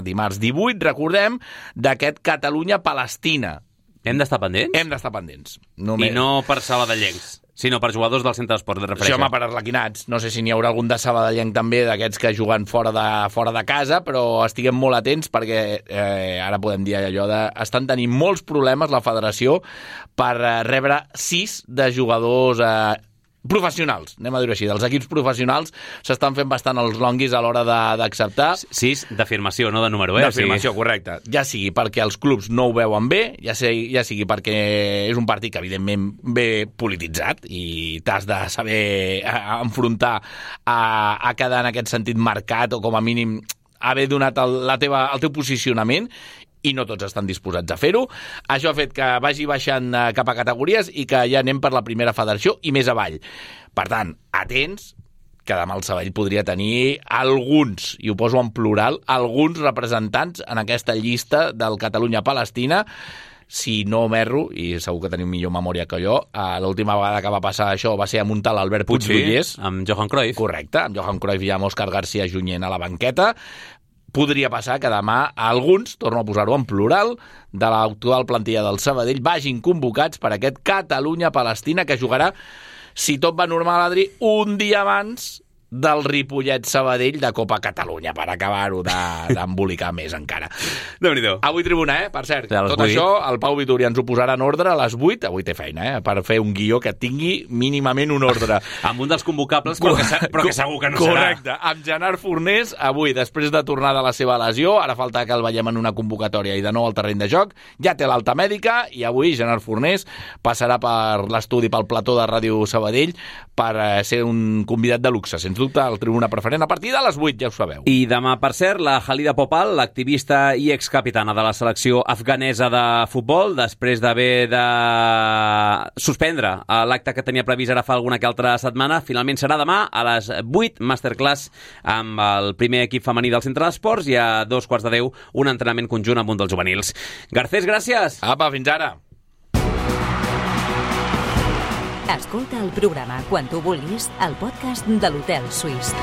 dimarts 18, recordem, d'aquest Catalunya-Palestina. Hem d'estar pendents? Hem d'estar pendents. I no per sabadellencs, sinó per jugadors del centre d'esports de referència. Sí, home, per arlequinats. No sé si n'hi haurà algun de sabadellenc també, d'aquests que juguen fora de casa, però estiguem molt atents perquè ara podem dir allò de... Estan tenint molts problemes la federació per rebre 6 de jugadors professionals, anem a dir-ho així, dels equips professionals s'estan fent bastant els longuis a l'hora d'acceptar. 6 d'afirmació, no de número, D'afirmació, correcte. Ja sigui perquè els clubs no ho veuen bé, ja sigui perquè és un partit que evidentment ve polititzat i t'has de saber enfrontar a quedar en aquest sentit marcat o com a mínim haver donat el teu posicionament, i no tots estan disposats a fer-ho. Això ha fet que vagi baixant cap a categories i que ja anem per la primera federació i més avall. Per tant, atents, que demà el Sabadell podria tenir alguns, i ho poso en plural, alguns representants en aquesta llista del Catalunya-Palestina. Si no m'erro, i segur que teniu millor memòria que jo, l'última vegada que va passar això va ser amb un tal Albert Puigdollers. Amb Johan Cruyff. Correcte, amb Johan Cruyff i amb Òscar García Junyent a la banqueta. Podria passar que demà alguns, torno a posar-ho en plural, de l'actual plantilla del Sabadell vagin convocats per aquest Catalunya-Palestina que jugarà, si tot va normal, Adri, un dia abans del Ripollet-Sabadell de Copa Catalunya, per acabar-ho d'embolicar més encara. Déu-n'hi-do. Avui tribuna, per cert. Tot això, el Pau Vitória ens ho posarà en ordre a les 8. Avui té feina, per fer un guió que tingui mínimament un ordre. Amb un dels convocables, però que segur que no serà. Correcte. Amb Gerard Fornés, avui, després de tornar de la seva lesió, ara falta que el veiem en una convocatòria i de nou al terreny de joc, ja té l'alta mèdica i avui Gerard Fornés passarà per l'estudi, pel plató de Ràdio Sabadell, per ser un convidat de luxe, sens dubte, al tribuna preferent a partir de les 8, ja ho sabeu. I demà, per cert, la Halida Popal, l'activista i excapitana de la selecció afganesa de futbol, després d'haver de suspendre l'acte que tenia previst ara fa alguna que altra setmana, finalment serà demà a les 8, masterclass amb el primer equip femení del Centre d'Esports i a 2:15 un entrenament conjunt amb un dels juvenils. Garcés, gràcies! Apa, fins ara! Escolta el programa quan tu vulguis al podcast de l'Hotel Suís.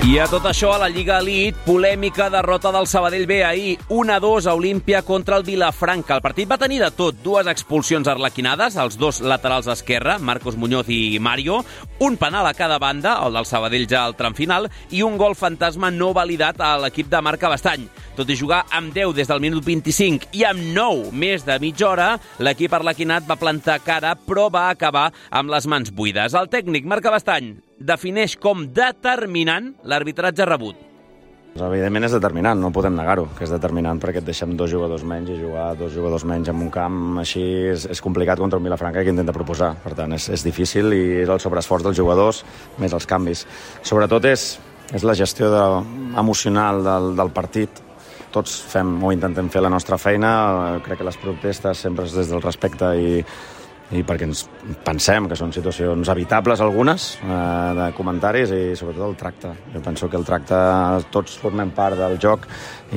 I a tot això, a la Lliga Elite, polèmica derrota del Sabadell B ahir, 1-2 a Olímpia contra el Vilafranca. El partit va tenir de tot, 2 expulsions arlequinades, els 2 laterals esquerra, Marcos Muñoz i Mario, un penal a cada banda, el del Sabadell ja al tram final, i un gol fantasma no validat a l'equip de Marc Cabestany. Tot i jugar amb 10 des del minut 25 i amb 9 més de mitja hora, l'equip arlequinat va plantar cara, però va acabar amb les mans buides. El tècnic Marc Cabestany defineix com determinant l'arbitratge rebut. Evidentment és determinant, no podem negar-ho, que és determinant perquè et deixem 2 jugadors menys i jugar 2 jugadors menys en un camp així és complicat contra un Vilafranca que intenta proposar. Per tant, és difícil i és el sobreesforç dels jugadors més els canvis. Sobretot és la gestió emocional del partit. Tots fem o intentem fer la nostra feina, crec que les protestes sempre és des del respecte i perquè ens pensem que són situacions evitables algunes de comentaris i sobretot el tracte. Jo penso que el tracte tots formem part del joc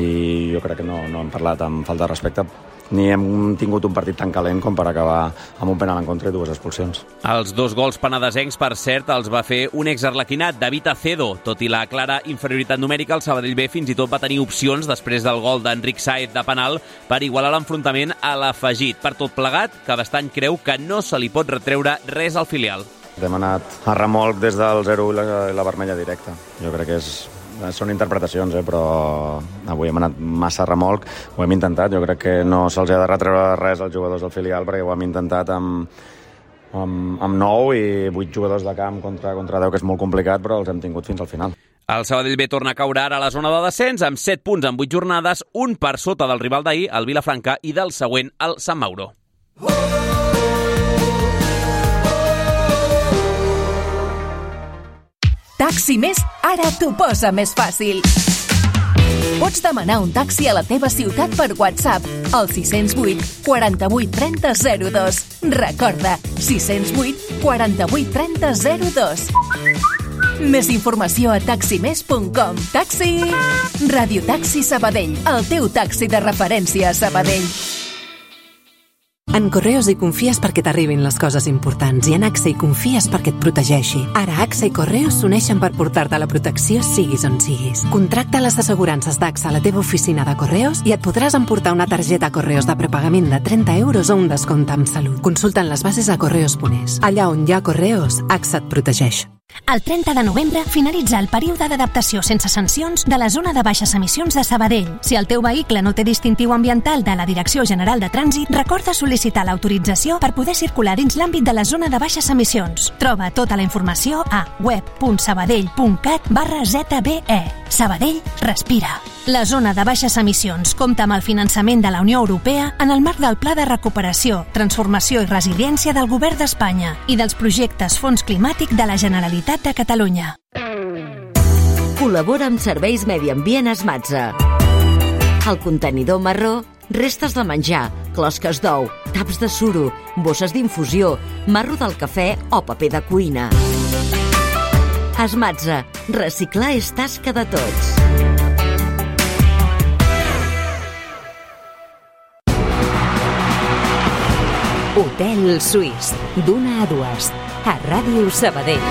i jo crec que no hem parlat amb falta de respecte ni hem tingut un partit tan calent com per acabar amb un penal en contra i 2 expulsions. Els 2 gols penedesencs, per cert, els va fer un exarlequinat, David Acedo. Tot i la clara inferioritat numèrica, el Sabadell B fins i tot va tenir opcions després del gol d'Enric Saez de penal per igualar l'enfrontament a l'afegit. Per tot plegat, Cabestany creu que no se li pot retreure res al filial. Hem anat a remolc des del 0 i la vermella directa. Jo crec que són interpretacions, però avui hem anat massa a remolc, ho hem intentat, jo crec que no se'ls ha de retreure res als jugadors del filial perquè ho hem intentat amb amb 9 i 8 jugadors de camp contra 10, que és molt complicat, però els hem tingut fins al final. El Sabadell B torna a caure ara a la zona de descens amb 7 punts en 8 jornades, un per sota del rival d'ahir, el Vilafranca, i del següent, el Sant Mauro. Taxi Més ara t'ho posa més fàcil. Pots demanar un taxi a la teva ciutat per WhatsApp al 608 48 30 02. Recorda, 608 48 30 02. Més informació a taximés.com. Taxi! Radio Taxi Sabadell, el teu taxi de referència a Sabadell. En Correos hi confies perquè t'arribin les coses importants i en AXA hi confies perquè et protegeixi. Ara AXA i Correos s'uneixen per portar-te la protecció siguis on siguis. Contracta les assegurances d'AXA a la teva oficina de Correos i et podràs emportar una targeta Correos de prepagament de 30 euros o un descompte amb salut. Consulta'n les bases a correos.es. Allà on hi ha Correos, AXA et protegeix. El 30 de novembre finalitza el període d'adaptació sense sancions de la zona de baixes emissions de Sabadell. Si el teu vehicle no té distintiu ambiental de la Direcció General de Trànsit, recorda sol·licitar l'autorització per poder circular dins l'àmbit de la zona de baixes emissions. Troba tota la informació a web.sabadell.cat/ZBE. Sabadell respira. La zona de baixes emissions compta amb el finançament de la Unió Europea en el marc del Pla de Recuperació, Transformació i Resiliència del Govern d'Espanya i dels projectes Fons Climàtic de la Generalitat de Catalunya. Col·labora amb Serveis Medi Ambient Esmatza. El contenidor marró, restes de menjar, closques d'ou, taps de suro, bosses d'infusió, marro del cafè o paper de cuina. Esmatza. Reciclar és tasca de tots. Hotel Suís, d'1 a 2, a Ràdio Sabadell.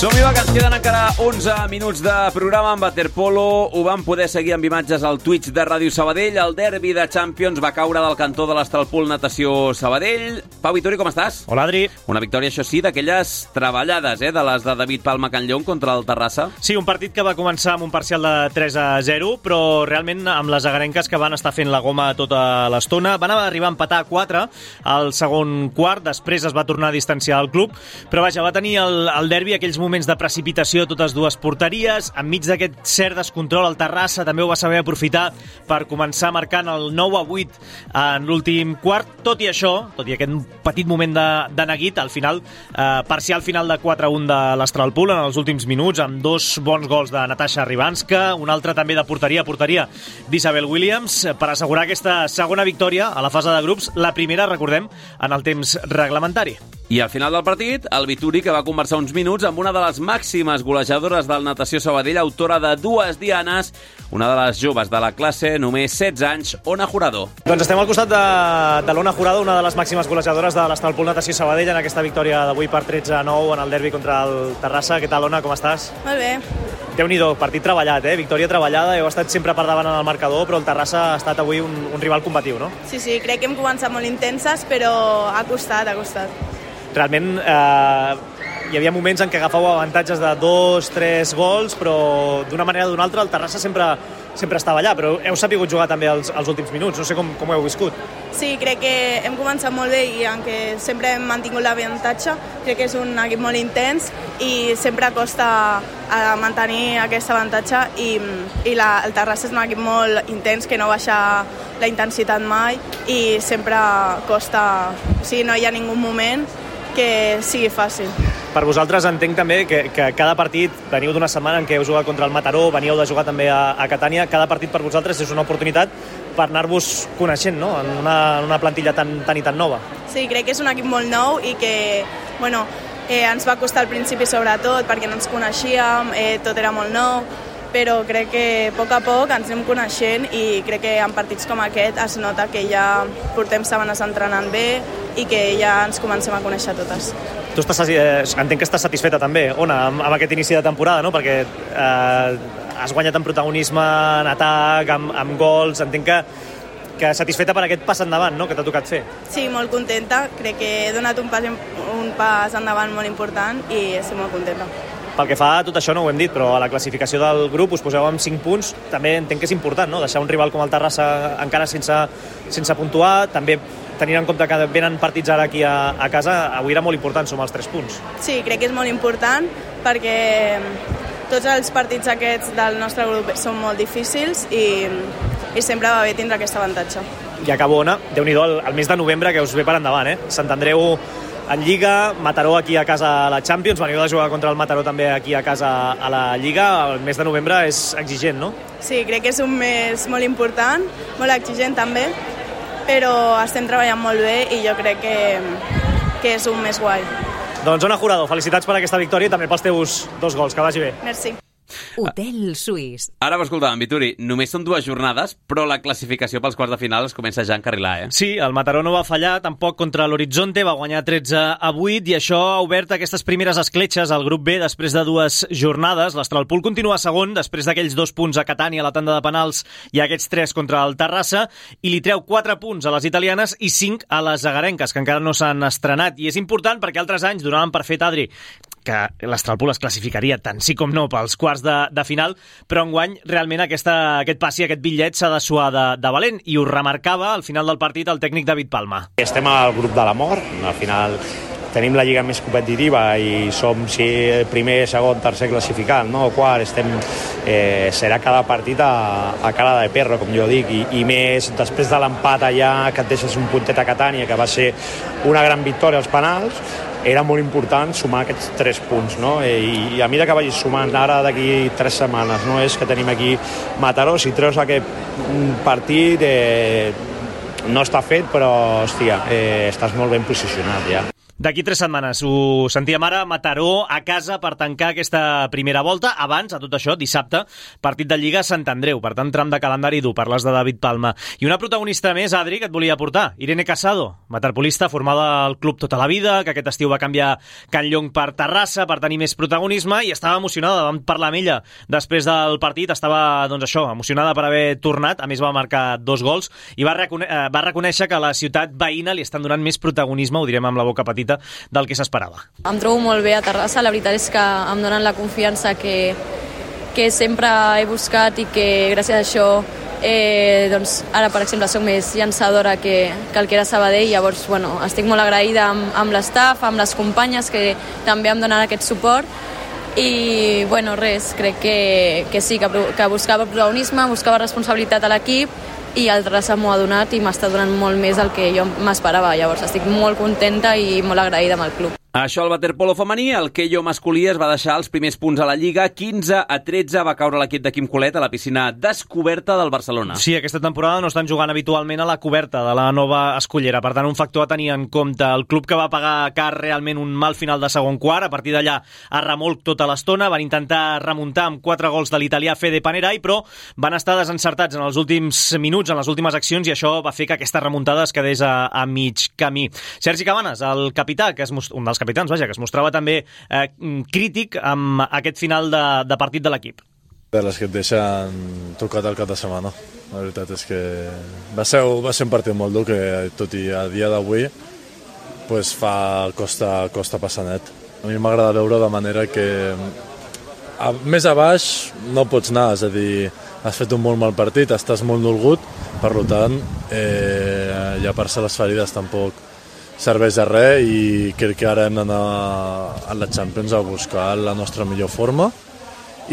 Som-hi, va, que ens queden encara 11 minuts de programa amb waterpolo. Ho vam poder seguir amb imatges al Twitch de Ràdio Sabadell. El derbi de Champions va caure del cantó de l'Estralpool Natació Sabadell. Pau Vittori, com estàs? Hola, Adri. Una victòria, això sí, d'aquelles treballades, de les de David Palma Canllón contra el Terrassa. Sí, un partit que va començar amb un parcial de 3-0, però realment amb les agarenques que van estar fent la goma tota l'estona. Van arribar a empatar a 4 al segon quart, després es va tornar a distanciar el club, però vaja, va tenir el derbi aquells moments de precipitació a totes dues porteries. Enmig d'aquest cert descontrol, el Terrassa també ho va saber aprofitar per començar marcant el 9-8 en l'últim quart. Tot i això, tot i aquest petit moment de neguit, al final, parcial final de 4-1 de l'Estralpool en els últims minuts, amb 2 bons gols de Natasha Ribanska, un altre també de porteria d'Isabel Williams, per assegurar aquesta segona victòria a la fase de grups, la primera, recordem, en el temps reglamentari. I al final del partit, el Vituri, que va conversar uns minuts amb una de les màximes golejadores del Natació Sabadell, autora de 2 dianes, una de les joves de la classe, només 16 anys, Ona Jurado. Doncs estem al costat de l'Ona Jurado, una de les màximes golejadores de l'Estralpool Natació Sabadell en aquesta victòria d'avui per 13-9 en el derbi contra el Terrassa. Què tal, Ona, com estàs? Molt bé. Déu-n'hi-do, partit treballat, victòria treballada, heu estat sempre per davant en el marcador, però el Terrassa ha estat avui un rival combatiu, no? Sí, crec que hem començat molt intenses, però ha costat. Realment hi havia moments en què agafàveu avantatges de 2-3 gols, però d'una manera o d'una altra el Terrassa sempre estava allà, però heu sapigut jugar també els últims minuts, no sé com ho heu viscut. Sí, crec que hem començat molt bé i aunque sempre hem mantingut l'avantatge, crec que és un equip molt intens i sempre costa mantenir aquest avantatge i el Terrassa és un equip molt intens que no baixa la intensitat mai i sempre costa, no hi ha ningú moment que sigui fàcil. Per vosaltres entenc també que cada partit, veniu d'una setmana en què heu jugat contra el Mataró, veníeu de jugar també a Catània, cada partit per vosaltres és una oportunitat per anar-vos coneixent, no?, en una plantilla tan i tan nova. Sí, crec que és un equip molt nou i que, ens va costar al principi sobretot perquè no ens coneixíem, tot era molt nou, però crec que a poc ens anem coneixent i crec que en partits com aquest es nota que ja portem setmanes entrenant bé i que ja ens comencem a conèixer totes. Tu entenc que estàs satisfeta també, Ona, amb aquest inici de temporada, no? Perquè has guanyat en protagonisme, en atac, amb gols, entenc que satisfeta per aquest pas endavant, no?, que t'ha tocat fer. Sí, molt contenta, crec que he donat un pas endavant molt important i estic molt contenta. Pel que fa a tot això no ho hem dit, però a la classificació del grup us poseu amb 5 punts, també entenc que és important, no? Deixar un rival com el Terrassa encara sense puntuar, també tenint en compte que venen partits ara aquí a casa, avui era molt important sumar els 3 punts. Sí, crec que és molt important perquè tots els partits aquests del nostre grup són molt difícils i sempre va bé tindre aquest avantatge. I acabo, Ona, Déu-n'hi-do, el mes de novembre que us ve per endavant, Sant Andreu en Lliga, Mataró aquí a casa a la Champions, veniu de jugar contra el Mataró també aquí a casa a la Lliga, el mes de novembre és exigent, no? Sí, crec que és un mes molt important, molt exigent també, però estem treballant molt bé i jo crec que és un mes guai. Doncs Ona Jurado, felicitats per aquesta victòria i també pels teus 2 gols, que vagi bé. Merci. Hotel Suís. Ara m'escoltàvem, Vituri, només són 2 jornades, però la classificació pels quarts de final es comença ja a encarrilar, Sí, el Mataró no va fallar, tampoc contra l'Horizonte, va guanyar 13-8 i això ha obert aquestes primeres escletxes al grup B després de 2 jornades. L'Astralpool continua segon després d'aquells 2 punts a Catània a la tanda de penals i aquests 3 contra el Terrassa i li treu 4 punts a les italianes i 5 a les agarenques, que encara no s'han estrenat. I és important perquè altres anys donaven per fet, Adri, que l'Astralpool es classificaria tant sí com no pels quarts de final, però enguany realment aquest passi, aquest bitllet s'ha de suar de valent, i ho remarcava al final del partit el tècnic David Palma. Estem al grup de la mort, al final tenim la lliga més competitiva i som primer, segon, tercer classificat, no? Quart, serà cada partit a cara de perro, com jo dic, i més després de l'empat allà que et deixes un puntet a Catània, que va ser una gran victòria als penals, era molt important sumar aquests 3 punts, no? I a mesura que vagis sumant ara d'aquí 3 setmanes, no? És que tenim aquí Mataró, si treus aquest partit no està fet, però hòstia, estàs molt ben posicionat ja. D'aquí 3 setmanes, ho sentíem ara, Mataró a casa per tancar aquesta primera volta. Abans, a tot això, dissabte, partit de Lliga a Sant Andreu. Per tant, tram de calendari dur, parles de David Palma. I una protagonista més, Adri, que et volia portar, Irene Casado, waterpolista formada al club tota la vida, que aquest estiu va canviar Can Llong per Terrassa per tenir més protagonisme, i estava emocionada, vam parlar amb ella després del partit, estava, doncs això, emocionada per haver tornat, a més va marcar 2 gols, i va reconèixer que a la ciutat veïna li estan donant més protagonisme, ho direm amb la boca petita, del que s'esperava. Em trobo molt bé a Terrassa, la veritat és que em donen la confiança que sempre he buscat i que gràcies a això doncs ara, per exemple, soc més llançadora que el que era Sabadell, llavors estic molt agraïda amb l'estaf, amb les companyes que també em donen aquest suport i res, crec que sí, que buscava protagonisme, buscava responsabilitat a l'equip i el Terrassa m'ho ha donat i m'està donant molt més del que jo m'esperava. Llavors estic molt contenta i molt agraïda amb el club. Això al waterpolo femení, el Keio masculí es va deixar els primers punts a la Lliga, 15-13 va caure l'equip de Quim Colet a la piscina descoberta del Barcelona. Sí, aquesta temporada no estan jugant habitualment a la coberta de la nova escollera, per tant un factor a tenir en compte. El club que va pagar car realment un mal final de segon quart, a partir d'allà a remolc tota l'estona, van intentar remuntar amb 4 gols de l'italià Fede Panerai, però van estar desencertats en els últims minuts, en les últimes accions, i això va fer que aquesta remuntada es quedés a mig camí. Sergi Cabanes, el capità, que és un dels capitans, que es mostrava també crític amb aquest final de partit de l'equip. De les que et deixen tocat el cap de setmana. La veritat és que va ser un partit molt dur, que tot i a dia d'avui costa passar net. A mi m'agrada veure de manera que més a baix no pots anar, és a dir, has fet un molt mal partit, estàs molt dolgut, per tant, llepar-se les ferides tampoc serveix de res, i crec que ara hem d'anar a la Champions a buscar la nostra millor forma,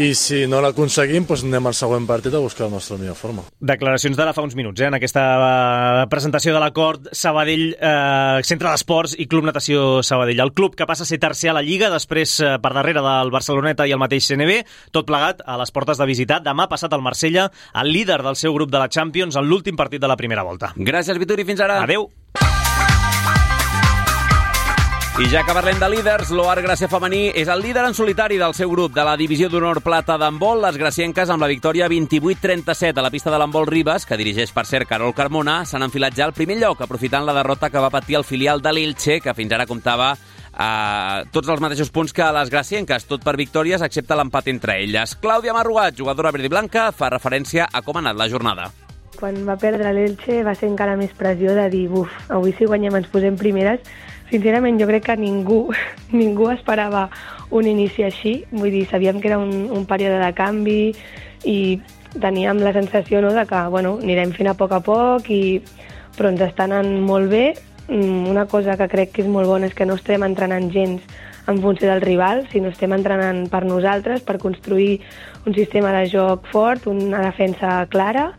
i si no l'aconseguim, anem al següent partit a buscar la nostra millor forma. Declaracions d'ara fa uns minuts, en aquesta presentació de l'acord Sabadell, Centre d'Esports i Club Natació Sabadell. El club que passa a ser tercer a la Lliga, després per darrere del Barceloneta i el mateix CNB, tot plegat a les portes de visitar demà passat al Marsella, el líder del seu grup de la Champions, en l'últim partit de la primera volta. Gràcies, Vituri, fins ara. Adeu. I ja que parlem de líders, l'Oar Gràcia femení és el líder en solitari del seu grup de la divisió d'honor plata d'handbol. Les gracienques, amb la victòria 28-37 a la pista de l'handbol Ribes, que dirigeix, per cert, Carol Carmona, s'han enfilat ja al primer lloc, aprofitant la derrota que va patir el filial de l'Elche, que fins ara comptava tots els mateixos punts que les gracienques, tot per victòries, excepte l'empat entre elles. Clàudia Marruat, jugadora verd i blanca, fa referència a com ha anat la jornada. Quan va perdre l'Elche va ser encara més pressió de dir, avui si guanyem ens posem primeres. Sincerament, jo crec que ningú esperava un inici així, vull dir, sabíem que era un període de canvi i teníem la sensació, no, de que anirem fent a poc, però ens està anant molt bé. Una cosa que crec que és molt bona és que no estem entrenant gens en funció del rival, sinó estem entrenant per nosaltres, per construir un sistema de joc fort, una defensa clara,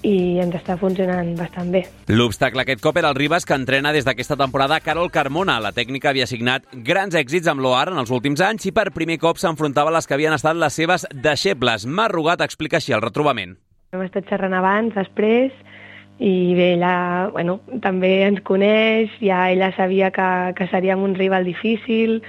i ens està funcionant bastant bé. L'obstacle aquest cop era el Ribas, que entrena des d'aquesta temporada Carol Carmona. La tècnica havia signat grans èxits amb l'OAR en els últims anys i per primer cop s'enfrontava a les que havien estat les seves deixebles. Mar Rugat explica així el retrobament. Hem estat xerrant abans, després, i bé, ella també ens coneix, ja ella sabia que seríem un rival difícil,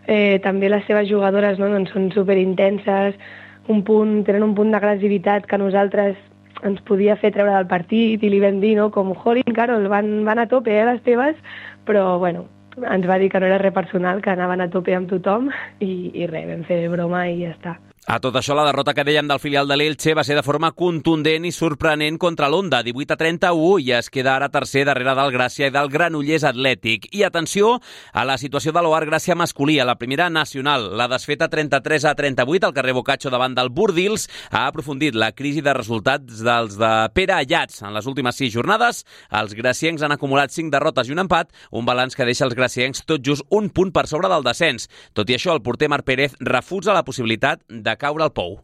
també les seves jugadores són superintenses, tenen un punt d'agressivitat que nosaltres ens podia fer treure del partit i li vam dir, com, jolín, Carol, van a tope, les teves, però, ens va dir que no era res personal, que anaven a tope amb tothom i res, vam fer broma i ja està. A tot això, la derrota que dèiem del filial de l'Elche va ser de forma contundent i sorprenent contra l'Onda, 18-31, i es queda ara tercer darrere del Gràcia i del Granollers Atlètic. I atenció a la situació de l'OAR Gràcia masculí a la primera nacional. La desfeta 33-38 al carrer Boccaccio davant del Bordils ha aprofundit la crisi de resultats dels de Pere Ayats. En les últimes 6 jornades, els graciencs han acumulat 5 derrotes i un empat, un balanç que deixa els graciencs tot just un punt per sobre del descens. Tot i això, el porter Marc Pérez refusa la possibilitat de caure al pou.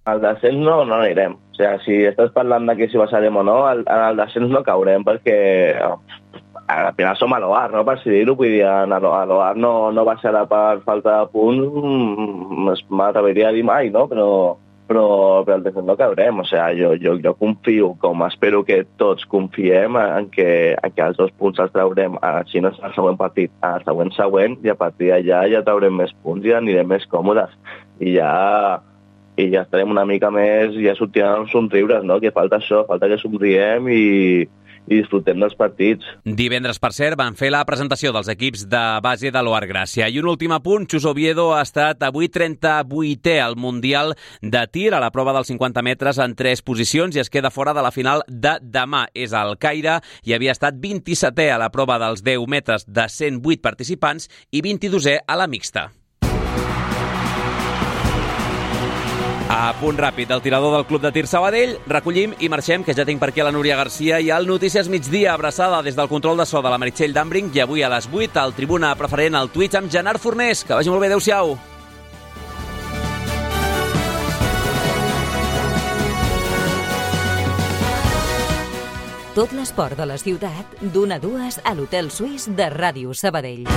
Al descens no anirem. O sigui, si estàs parlant de que si baixarem o no, al descens no caurem perquè al final som a l'OAR, no? Per si dir-ho, vull dir, a l'OAR no baixarà per falta de punts, m'atreviria a dir mai, no? Però al descens no caurem. O sigui, jo confio, com espero que tots confiem, en que els 2 punts els traurem, si no és el següent partit, al següent, i a partir d'allà ja traurem més punts i anirem més còmodes. I ja estarem una mica més, ja sortirem somriures, no? Que falta això, falta que somriem i disfrutem dels partits. Divendres, per cert, van fer la presentació dels equips de base de l'OAR Gràcia. I un últim apunt, Xus Oviedo ha estat avui 38è al Mundial de Tir a la prova dels 50 metres en 3 posicions i es queda fora de la final de demà. És al Caire i havia estat 27è a la prova dels 10 metres de 108 participants i 22è a la mixta. A punt ràpid, el tirador del Club de Tir Sabadell, recollim i marxem, que ja tinc per aquí a la Núria Garcia i al Notícies Migdia, abraçada des del control de so de la Meritxell d'Ambring, i avui a les 8 al Tribuna Preferent al Twitch amb Gerard Fornés. Que vagi molt bé, adeu-siau. Tot l'esport de la ciutat, d'1 a 2 a l'Hotel Suís de Ràdio Sabadell.